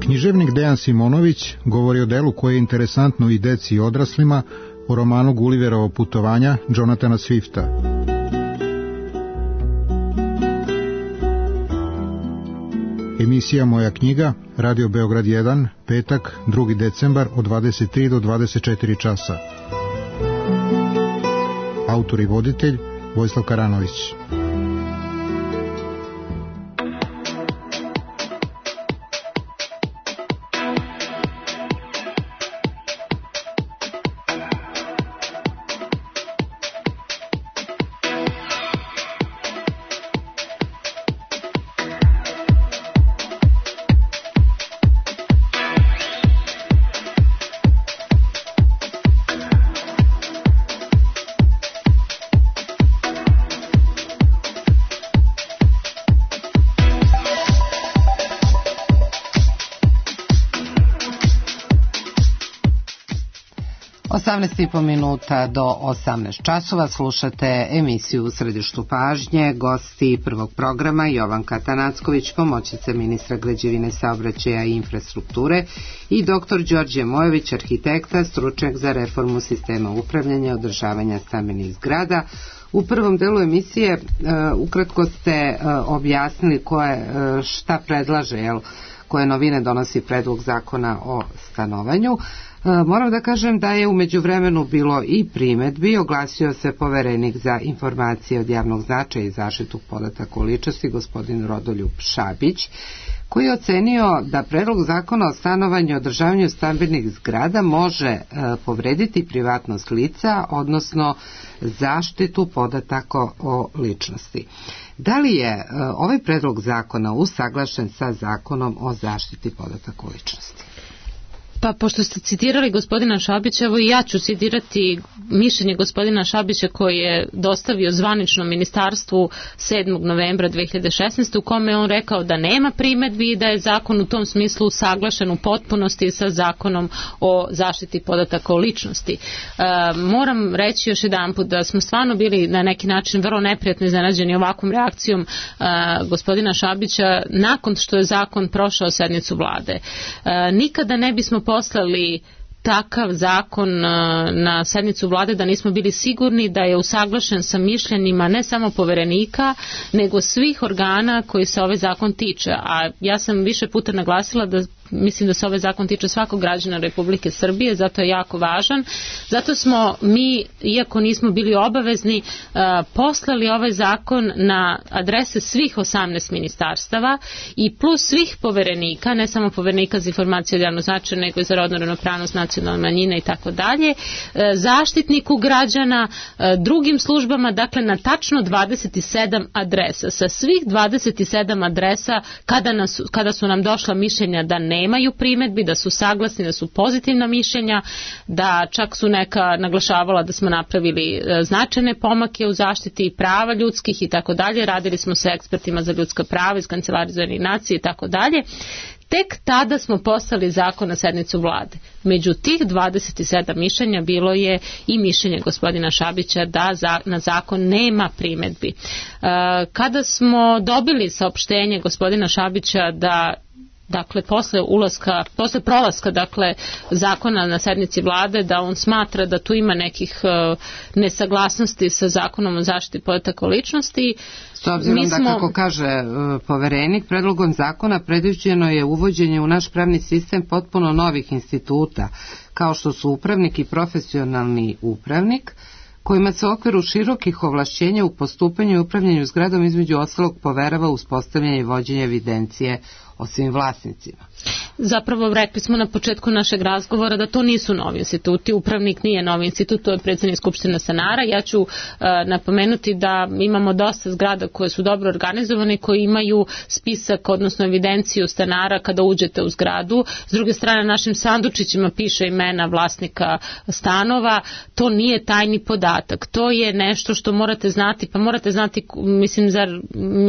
Književnik Dejan Simonović govori o delu koje je interesantno i deci i odraslima, o romanu Gulliverovo putovanja Jonathana Swifta. Emisija Moja knjiga, Radio Beograd jedan, petak, drugi decembar od dvadeset tri do dvadeset četiri časa. Autor i voditelj Vojislav Karanović. osamnaest i po minuta do osamnaest časova slušate emisiju U središtu pažnje. Gosti prvog programa Jovanka Tanacković, pomoćnica ministra građevine, saobraćaja i infrastrukture, i doktor Đorđe Mojović, arhitekta, stručnjak za reformu sistema upravljanja i održavanja stambenih zgrada. U prvom delu emisije uh, ukratko ste uh, objasnili koje, uh, šta predlaže, jel, koje novine donosi predlog zakona o stanovanju. Moram da kažem da je u međuvremenu bilo i primedbi. Oglasio se poverenik za informacije od javnog značaja i zaštitu podataka o ličnosti, gospodin Rodoljub Šabić, koji je ocenio da predlog zakona o stanovanju i održavanju stambenih zgrada može e, povrediti privatnost lica, odnosno zaštitu podataka o ličnosti. Da li je e, ovaj predlog zakona usaglašen sa zakonom o zaštiti podataka o ličnosti? Pa pošto ste citirali gospodina Šabića, evo i ja ću citirati mišljenje gospodina Šabića koji je dostavio zvanično ministarstvu sedmog novembra dve hiljade šesnaeste. u kome je on rekao da nema primedbi i da je zakon u tom smislu usaglašen u potpunosti sa zakonom o zaštiti podataka o ličnosti. E, moram reći još jedanput da smo stvarno bili na neki način vrlo neprijatno iznenađeni ovakvom reakcijom e, gospodina Šabića nakon što je zakon prošao sednicu vlade. E, nikada ne bismo poslali takav zakon na sednicu vlade da nismo bili sigurni da je usaglašen sa mišljenjima ne samo poverenika, nego svih organa koji se ovaj zakon tiče. A ja sam više puta naglasila da mislim da se ovaj zakon tiče svakog građana Republike Srbije, zato je jako važan. Zato smo mi, iako nismo bili obavezni, poslali ovaj zakon na adrese svih osamnaest ministarstava i plus svih poverenika, ne samo poverenika za informacije od javnog značaja, nego i za rodnu ravnopravnost, nacionalne manjine i tako dalje, zaštitniku građana, drugim službama, dakle na tačno dvadeset sedam adresa. Sa svih dvadeset sedam adresa, kada, nas, kada su nam došla mišljenja da nemaju primedbi, da su saglasni, da su pozitivna mišljenja, da čak su neka naglašavala da smo napravili značajne pomake u zaštiti prava ljudskih i tako dalje, radili smo sa ekspertima za ljudska prava iz Kancelarije za Ujedinjene nacije i tako dalje. Tek tada smo poslali zakon na sednicu vlade. Među tih dvadeset sedam mišljenja bilo je i mišljenje gospodina Šabića da za, na zakon nema primedbi. E, kada smo dobili saopštenje gospodina Šabića da dakle posle ulaska, posle prolaska dakle zakona na sednici vlade, da on smatra da tu ima nekih uh, nesaglasnosti sa zakonom o zaštiti podataka o ličnosti. S obzirom da, smo... kako kaže uh, poverenik, predlogom zakona predviđeno je uvođenje u naš pravni sistem potpuno novih instituta, kao što su upravnik i profesionalni upravnik, kojima se u okviru širokih ovlašćenja u postupanju i upravljanju zgradom između ostalog poverava uspostavljanje i vođenje evidencije o svim vlasnicima. Zapravo rekli smo na početku našeg razgovora da to nisu novi instituti, upravnik nije novi institut, to je predsjednik Skupštine stanara. Ja ću uh, napomenuti da imamo dosta zgrada koje su dobro organizovane i koji imaju spisak, odnosno evidenciju stanara kada uđete u zgradu. S druge strane, našim sandučićima piše imena vlasnika stanova. To nije tajni podatak. To je nešto što morate znati, pa morate znati, mislim, zar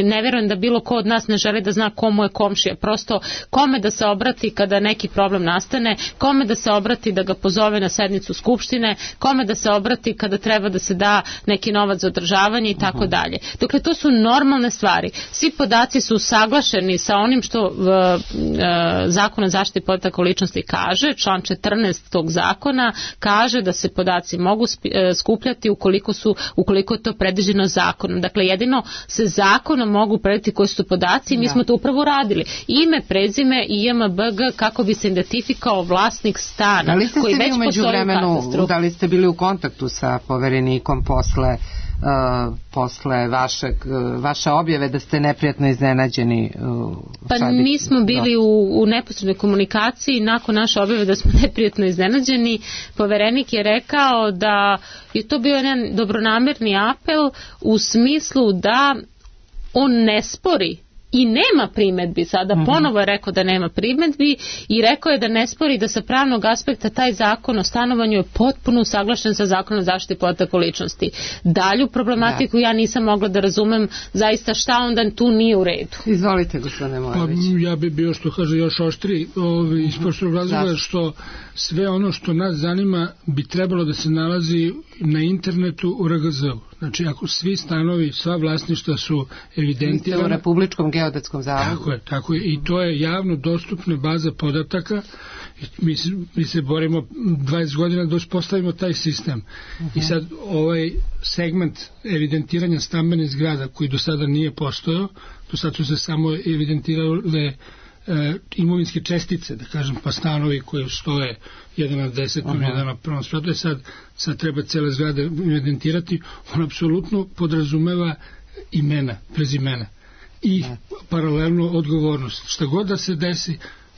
ne vjerujem da bilo ko od nas ne želi da zna komu je komšija. Prosto kome da se obrati kada neki problem nastane, kome da se obrati da ga pozove na sednicu Skupštine, kome da se obrati kada treba da se da neki novac za održavanje i tako dalje. Dakle, to su normalne stvari. Svi podaci su usaglašeni sa onim što uh, uh, Zakon o zaštiti podataka o ličnosti kaže. Član četrnaest tog zakona kaže da se podaci mogu skupljati ukoliko su, ukoliko je to predviđeno zakonom. Dakle, jedino se zakonom mogu predvidjeti koji su podaci i mi da. smo to upravo radili. Ime, prezime i I M B G kako bi se identifikao vlasnik stana. Da li ste koji se već vi umeđu vremenu, da li ste bili u kontaktu sa poverenikom posle, uh, posle vašeg, uh, vaše objave da ste neprijatno iznenađeni? Uh, pa mi smo bili u, u neposrednoj komunikaciji nakon naše objave da smo neprijatno iznenađeni. Poverenik je rekao da je to bio jedan dobronamerni apel u smislu da on ne spori i nema primedbi, sada mm-hmm. ponovo je rekao da nema primedbi i rekao je da ne spori da sa pravnog aspekta taj zakon o stanovanju je potpuno usaglašen sa zakonom o zaštiti podataka o ličnosti. Dalju problematiku da. ja nisam mogla da razumem zaista šta onda tu nije u redu. Izvolite, gospodine Mojević. Pa, ja bi bio što kaže još oštri ovi, iz poštog razloga što sve ono što nas zanima bi trebalo da se nalazi na internetu u R G Z-u. Znači, ako svi stanovi, sva vlasništva su evidentirane u Republičkom geodetskom zavodu. Tako je, tako je. I to je javno dostupna baza podataka. Mi, mi se borimo dvadeset godina da uspostavimo taj sistem. Uh-huh. I sad ovaj segment evidentiranja stambenih zgrada koji do sada nije postojao, do sada su se samo evidentirale e, imovinske čestice, da kažem, pa stanovi koji stoje jedan na desetom, uh-huh. jedan na prvom spratu, sad, sad treba cele zgrade evidentirati, on apsolutno podrazumeva imena, prezimena i uh-huh. paralelno odgovornost. Šta god da se desi,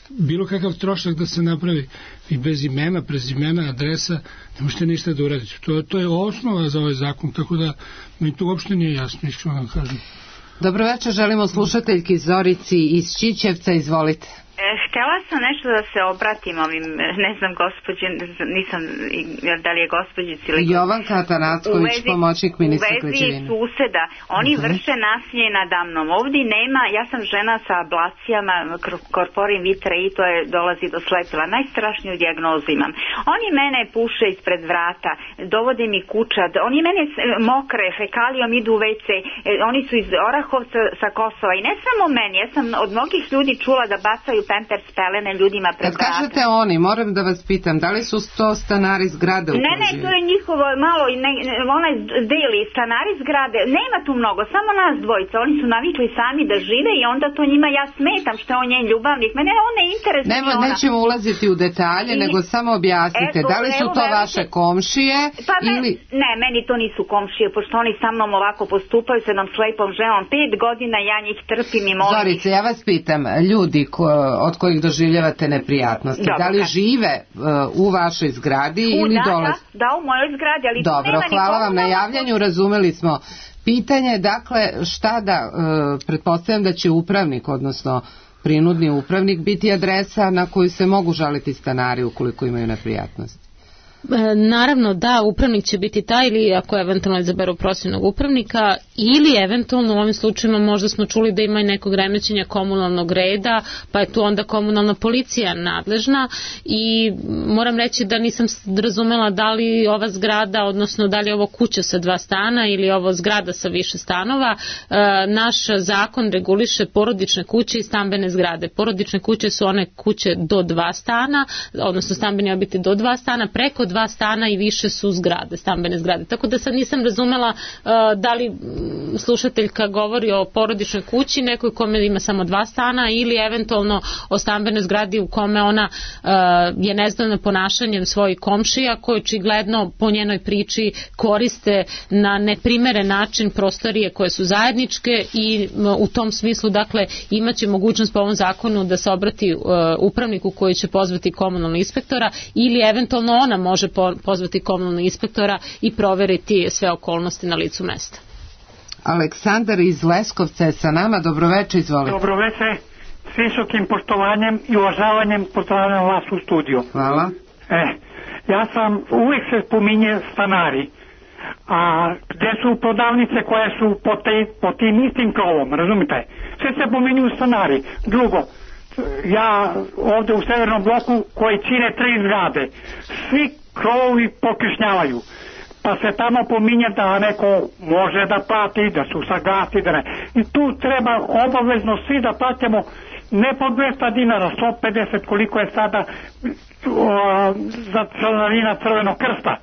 bilo kakav trošak da se napravi i bez imena, prezimena, adresa, ne možete ništa da uradite. To, to je osnova za ovaj zakon, tako da mi to uopšte nije jasno, iskreno vam kažem. Dobro večer, želimo slušateljki Zorici iz Čičevca, izvolite. Htjela sam nešto da se obratim ovim, ne znam, gospođe, nisam, da li je gospođici ili... Jovanka Atanacković, pomoćnik ministra građevine. U vezi suseda, oni uh-huh. vrše nasilje nadamnom. Ovdje nema, ja sam žena sa ablacijama, korporin vitre i to je dolazi do slepila. Najstrašniju dijagnozu imam. Oni mene puše ispred vrata, dovode mi kućad, oni mene mokre, fekalijom idu u ve ce, oni su iz Orahovca sa Kosova i ne samo meni, ja sam od mnogih ljudi čula da bacaju pempers, pelene ljudima pred vratom. Kad kažete oni, moram da vas pitam, da li su to stanari zgrade u kojoj Ne, ne, to je njihovo malo, ne, onaj deli stanari zgrade, nema tu mnogo, samo nas dvojica, oni su navikli sami da žive i onda to njima ja smetam što je on njen ljubavnik, mene on ne interesuje. Nemo, nećemo ulaziti u detalje, I, nego samo objasnite, eto, da li su to vaše komšije pa ili... Ne, meni to nisu komšije, pošto oni sa mnom ovako postupaju, sa jednom slepom ženom, pet godina ja njih trpim i molim. Zorice, ja vas pitam, ljudi ko, od kojih doživljavate neprijatnosti, Dobro, da li kad... žive uh, u vašoj zgradi u, ili da, dole? Da, da, u mojoj zgradi, ali Dobro, nema hvala vam na javljanju, razumeli smo. Pitanje, dakle, šta da, uh, pretpostavljam da će upravnik, odnosno prinudni upravnik, biti adresa na koju se mogu žaliti stanari ukoliko imaju neprijatnosti. Naravno da, upravnik će biti taj ili ako eventualno izaberu profesionalnog upravnika ili eventualno u ovim slučajima možda smo čuli da ima i nekog remećenja komunalnog reda, pa je tu onda komunalna policija nadležna i moram reći da nisam razumela da li ova zgrada, odnosno da li je ovo kuća sa dva stana ili ovo zgrada sa više stanova. Naš zakon reguliše porodične kuće i stambene zgrade. Porodične kuće su one kuće do dva stana, odnosno stambeni objekti do dva stana, preko dva stana i više su zgrade, stambene zgrade. Tako da sad nisam razumela uh, da li slušateljka govori o porodičnoj kući, nekoj kome ima samo dva stana ili eventualno o stambenoj zgradi u kome ona uh, je nezadovoljna ponašanjem svojih komšija koji očigledno po njenoj priči koriste na neprimeren način prostorije koje su zajedničke i uh, u tom smislu dakle imaće mogućnost po ovom zakonu da se obrati uh, upravniku koji će pozvati komunalnog inspektora ili eventualno ona može pozvati komunalnog inspektora i proveriti sve okolnosti na licu mesta. Aleksandar iz Leskovca je sa nama. Dobroveče, izvolite. Dobroveče, s visokim poštovanjem i uvažavanjem pozdravljam vas u studiju. Hvala. E, ja sam, uvijek se spominje stanari, a gde su prodavnice koje su po, te, po tim istim krovom, razumite? Sve se pominju stanari. Drugo, ja ovde u severnom bloku koji čine tri zgrade, svi krovovi pokrišnjavaju, pa se tamo pominje da neko može da plati, da su sagati, da ne. I tu treba obavezno svi da platimo ne po dvesta dinara, sto pedeset koliko je sada o, za članarina Crvenog krsta,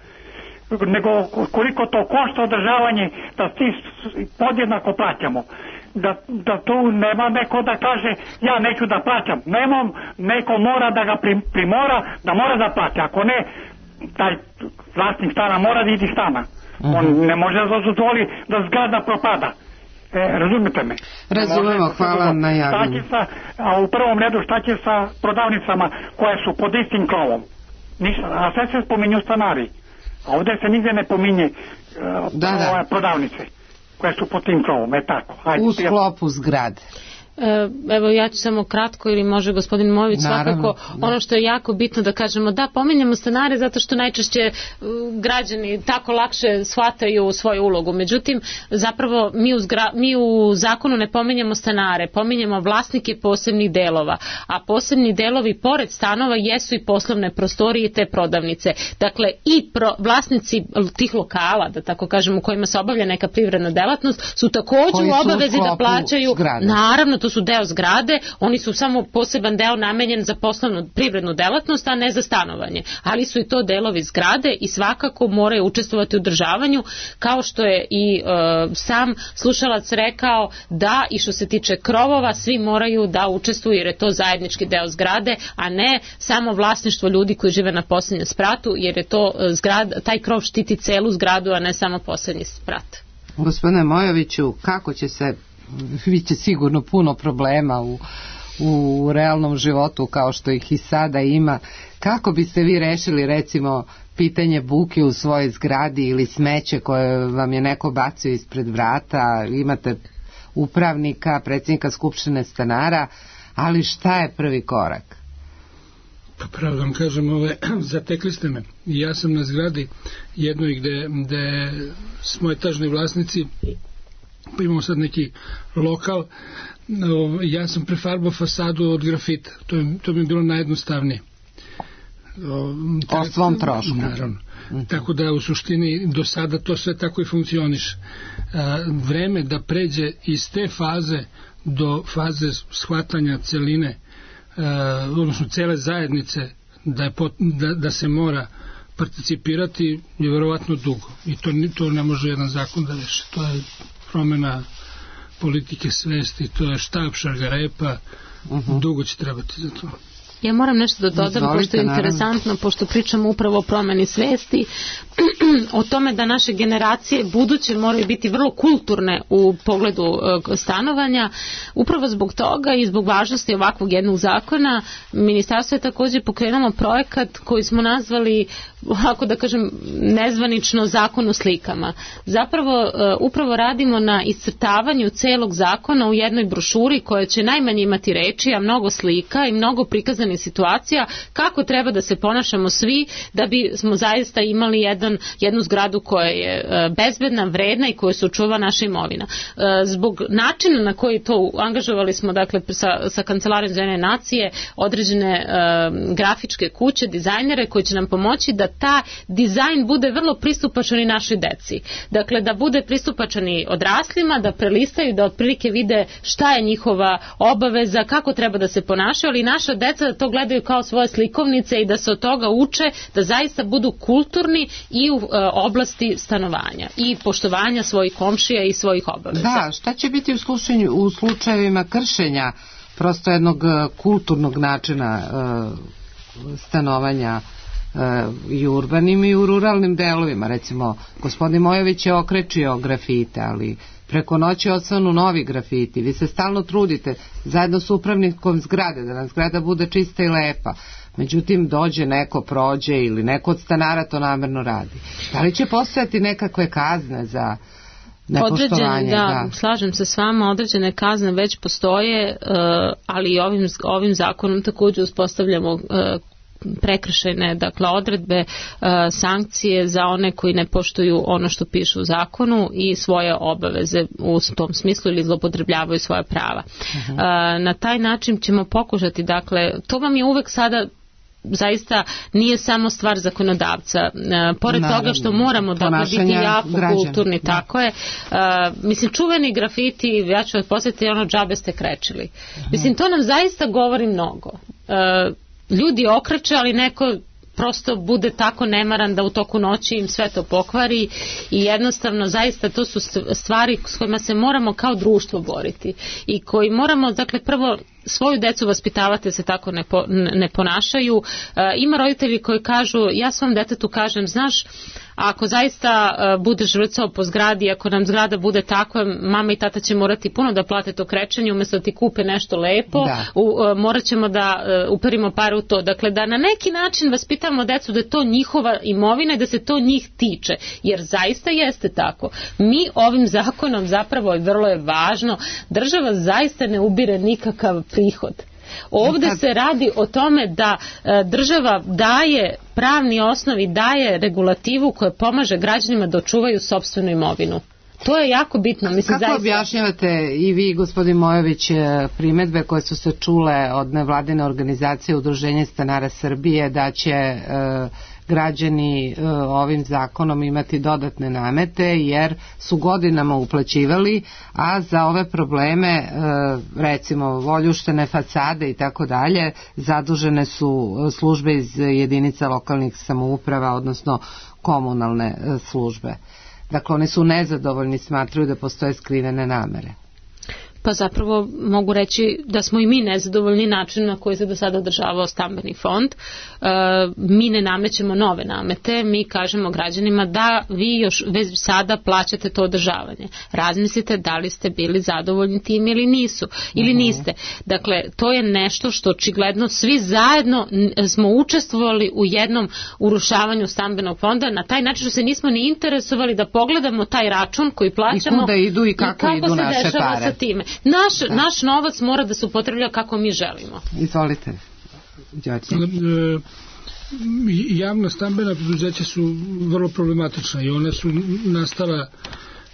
nego koliko to košta održavanje, da svi podjednako plaćamo. Da, da tu nema neko da kaže ja neću da plaćam. Nemam, neko mora da ga primora da mora da plaća. Ako ne, taj vlasnik stana mora da ide stana. Uh-huh. On ne može da dozvoli da zgrada propada. E, razumite me? Razumemo, hvala na javljanju. A u prvom redu šta će sa prodavnicama koje su pod istim krovom? Ništa, a sve se spominju stanari. A ovdje se nigde ne pominje uh, da, da. prodavnice koje su pod tim krovom, je tako. Hajde, u sklopu zgrade. Evo ja ću samo kratko ili može gospodin Mojović svakako da. Ono što je jako bitno da kažemo da pominjemo stanare zato što najčešće građani tako lakše shvataju svoju ulogu, međutim zapravo mi u, zgra, mi u zakonu ne pominjemo stanare, pominjemo vlasnike posebnih delova, a posebni delovi pored stanova jesu i poslovne prostorije i te prodavnice, dakle i pro, vlasnici tih lokala da tako kažemo u kojima se obavlja neka privredna delatnost su također u obavezi da plaćaju zgrade. Naravno to su deo zgrade, oni su samo poseban deo namenjen za poslovnu privrednu delatnost, a ne za stanovanje. Ali su i to delovi zgrade i svakako moraju učestvovati u održavanju, kao što je i e, sam slušalac rekao da i što se tiče krovova, svi moraju da učestvuju jer je to zajednički deo zgrade, a ne samo vlasništvo ljudi koji žive na posljednjem spratu, jer je to zgrad, taj krov štiti celu zgradu, a ne samo posljednji sprat. Gospodine Mojoviću, kako će se biće sigurno puno problema u, u realnom životu kao što ih i sada ima. Kako biste vi rešili recimo pitanje buke u svojoj zgradi ili smeće koje vam je neko bacio ispred vrata, imate upravnika, predsjednika skupštine stanara, ali šta je prvi korak? Pa pravo vam kažem, ove, zatekli ste me. Ja sam na zgradi jednoj gde, gde smo etažni vlasnici, pa imamo sad neki lokal, ja sam prefarbao fasadu od grafita, to, je, to mi je bilo najjednostavnije. O svom trošku. Naravno. Mm-hmm. Tako da u suštini do sada to sve tako i funkcioniše. Vreme da pređe iz te faze do faze shvatanja celine odnosno cele zajednice da, je pot, da, da se mora participirati je verovatno dugo i to, to ne može jedan zakon da reši. To je promjena politike svesti, to je štab šargarepa, uh-huh. dugo će trebati za to. Ja moram nešto da dodam, Izvolite, pošto je interesantno, naravno. Pošto pričamo upravo o promeni svesti, o tome da naše generacije buduće moraju biti vrlo kulturne u pogledu stanovanja. Upravo zbog toga i zbog važnosti ovakvog jednog zakona, ministarstvo je također pokrenulo projekat koji smo nazvali, ako da kažem, nezvanično zakon o slikama. Zapravo, upravo radimo na iscrtavanju celog zakona u jednoj brošuri koja će najmanje imati reči, a mnogo slika i mnogo prikazanih situacija kako treba da se ponašamo svi da bi smo zaista imali jedan, jednu zgradu koja je bezbedna, vredna i koja se očuva naša imovina. Zbog načina na koji to angažovali smo, dakle, sa, sa Kancelarijom za Ujedinjene nacije određene uh, grafičke kuće, dizajnere koji će nam pomoći da ta dizajn bude vrlo pristupačan i našoj deci. Dakle, da bude pristupačan i odraslima, da prelistaju, da otprilike vide šta je njihova obaveza, kako treba da se ponašaju, ali i naša deca da to gledaju kao svoje slikovnice i da se od toga uče, da zaista budu kulturni i u e, oblasti stanovanja i poštovanja svojih komšija i svojih obaveza. Da, šta će biti u, slučaju, u slučajevima kršenja prosto jednog kulturnog načina e, stanovanja i u urbanim i u ruralnim delovima? Recimo, gospodin Mojović je okrečio grafite, ali preko noći odsvanu novi grafiti. Vi se stalno trudite zajedno s upravnikom zgrade da nam zgrada bude čista i lepa. Međutim, dođe neko, prođe ili neko od stanara to namerno radi. Da li će postojati nekakve kazne za nepoštovanje? Da, da, slažem se s vama, određene kazne već postoje, ali i ovim, ovim zakonom također uspostavljamo prekršajne, dakle, odredbe, sankcije za one koji ne poštuju ono što piše u zakonu i svoje obaveze u tom smislu ili zlopotrebljavaju svoja prava. Uh-huh. Na taj način ćemo pokušati, dakle, to vam je uvek sada zaista nije samo stvar zakonodavca. E, pored Naravno, toga što moramo da biti jako građana. Kulturni, da. Tako je. E, mislim, čuveni grafiti, ja ću vas posjetiti, ono džabe ste krečili. Uh-huh. Mislim, to nam zaista govori mnogo. E, ljudi okreće, ali neko prosto bude tako nemaran da u toku noći im sve to pokvari i jednostavno zaista to su stvari s kojima se moramo kao društvo boriti i koji moramo, dakle, prvo svoju decu vaspitavati se tako ne, po, ne ponašaju. E, ima roditelji koji kažu, ja svom detetu kažem, znaš, ako zaista uh, budeš vrcao po zgradi, ako nam zgrada bude tako, mama i tata će morati puno da plate to krečenje umjesto da ti kupe nešto lepo, u, uh, morat ćemo da uh, uperimo pare u to. Dakle, da na neki način vaspitamo decu da je to njihova imovina i da se to njih tiče, jer zaista jeste tako. Mi ovim zakonom zapravo, i vrlo je važno, država zaista ne ubire nikakav prihod. Ovdje se radi o tome da e, država daje pravni osnov i daje regulativu koja pomaže građanima da očuvaju sopstvenu imovinu. To je jako bitno. Mislim, kako zaista... objašnjavate i vi, gospodin Mojović, primedbe koje su se čule od nevladine organizacije Udruženje stanara Srbije da će e, građani e, ovim zakonom imati dodatne namete jer su godinama uplaćivali, a za ove probleme e, recimo voljuštene fasade i tako dalje zadužene su službe iz jedinica lokalnih samouprava, odnosno komunalne e, službe. Dakle, oni su nezadovoljni, smatraju da postoje skrivene namere. Pa zapravo mogu reći da smo i mi nezadovoljni načinom na koji se do sada održavao stambeni fond. E, mi ne namećemo nove namete, mi kažemo građanima da vi još već sada plaćate to održavanje. Razmislite da li ste bili zadovoljni tim ili nisu, ili uh-huh. niste. Dakle, to je nešto što očigledno svi zajedno smo učestvovali u jednom urušavanju stambenog fonda, na taj način što se nismo ni interesovali da pogledamo taj račun koji plaćamo i kuda idu i kako, i kako idu naše pare. I kako se dešava sa time. Naš, naš novac mora da se upotrebljava kako mi želimo. Izvolite. Javna stambena preduzeća su vrlo problematična i one su nastala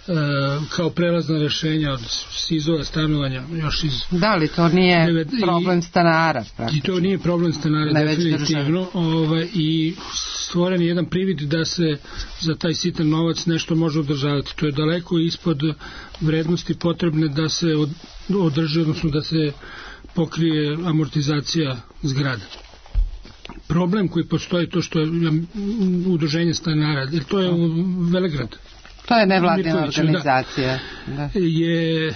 Uh, kao prelazna rješenja od SIZ-ova stanovanja još iz... Da li to nije devet, problem stanara? I, i to nije problem stanara definitivno, ovaj, i stvoren je jedan privid da se za taj sitan novac nešto može održavati. To je daleko ispod vrednosti potrebne da se od, održi, odnosno da se pokrije amortizacija zgrada. Problem koji postoji, to što je udruženje stanara, jer to je u Velegrad. To je nevladina organizacija. Da. Je,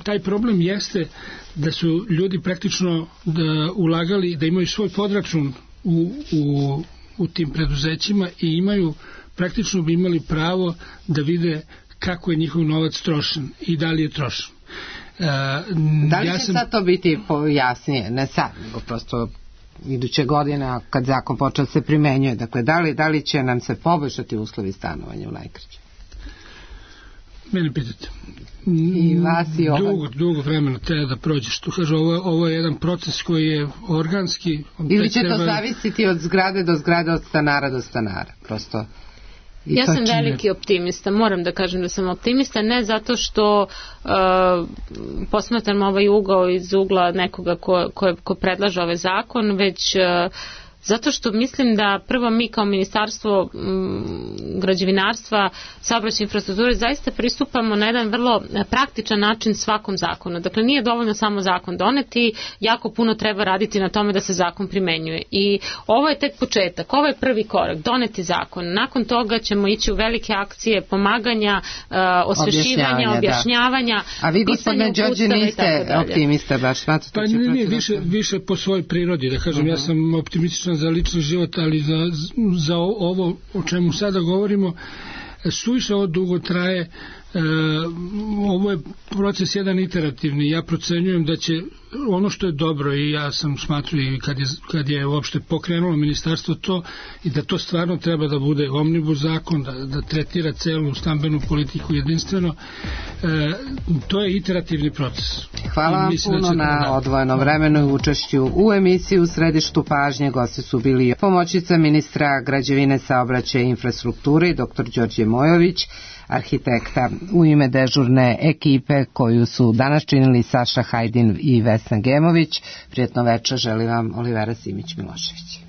taj problem jeste da su ljudi praktično da ulagali, da imaju svoj podračun u, u, u tim preduzećima i imaju, praktično bi imali pravo da vide kako je njihov novac trošen i da li je trošen. Uh, da li ja će sam... sad to biti jasnije, ne sad, nego prosto iduće godine kad zakon počeo se primenjuje, dakle da li, da li će nam se poboljšati uslovi stanovanja u najkraće? Mene pitate. I vas i ovaj. Dugo, dugo vremena treba da prođeš. Tu kaže, ovo, ovo je jedan proces koji je organski. Ili će treba... to zavisiti od zgrade do zgrade, od stanara do stanara, prosto. I ja sam čine... veliki optimista, moram da kažem da sam optimista, ne zato što uh, posmatram ovaj ugao iz ugla nekoga ko, ko, ko predlaže ovaj zakon, već uh, zato što mislim da prvo mi kao ministarstvo m, građevinarstva, saobraćajne infrastrukture zaista pristupamo na jedan vrlo praktičan način svakom zakonu. Dakle, nije dovoljno samo zakon doneti, jako puno treba raditi na tome da se zakon primenjuje. I ovo je tek početak, ovo je prvi korak, doneti zakon. Nakon toga ćemo ići u velike akcije pomaganja, uh, osvešćivanja, objašnjavanja. Da. A vi, gospodine Đorđe, niste optimista baš? Pa ne, nije, više, više po svojoj prirodi, da kažem, uh-huh. Ja sam optimističan za lični život, ali za, za ovo o čemu sada govorimo suviše ovo dugo traje. E, ovo je proces jedan iterativni. Ja procenjujem da će ono što je dobro, i ja sam smatruo i kad je, kad je uopšte pokrenulo ministarstvo to, i da to stvarno treba da bude omnibus zakon, da, da tretira celu stambenu politiku jedinstveno, e, to je iterativni proces. Hvala vam puno na da... odvojenom vremenu i učešću u emisiji. U središtu pažnje gosti su bili pomoćnica ministra građevine, saobraćaja i infrastrukture doktor Đorđe Mojović, arhitekta. U ime dežurne ekipe koju su danas činili Saša Hajdin i Vesna Gemović, prijetno večer želi vam Olivera Simić-Milošević.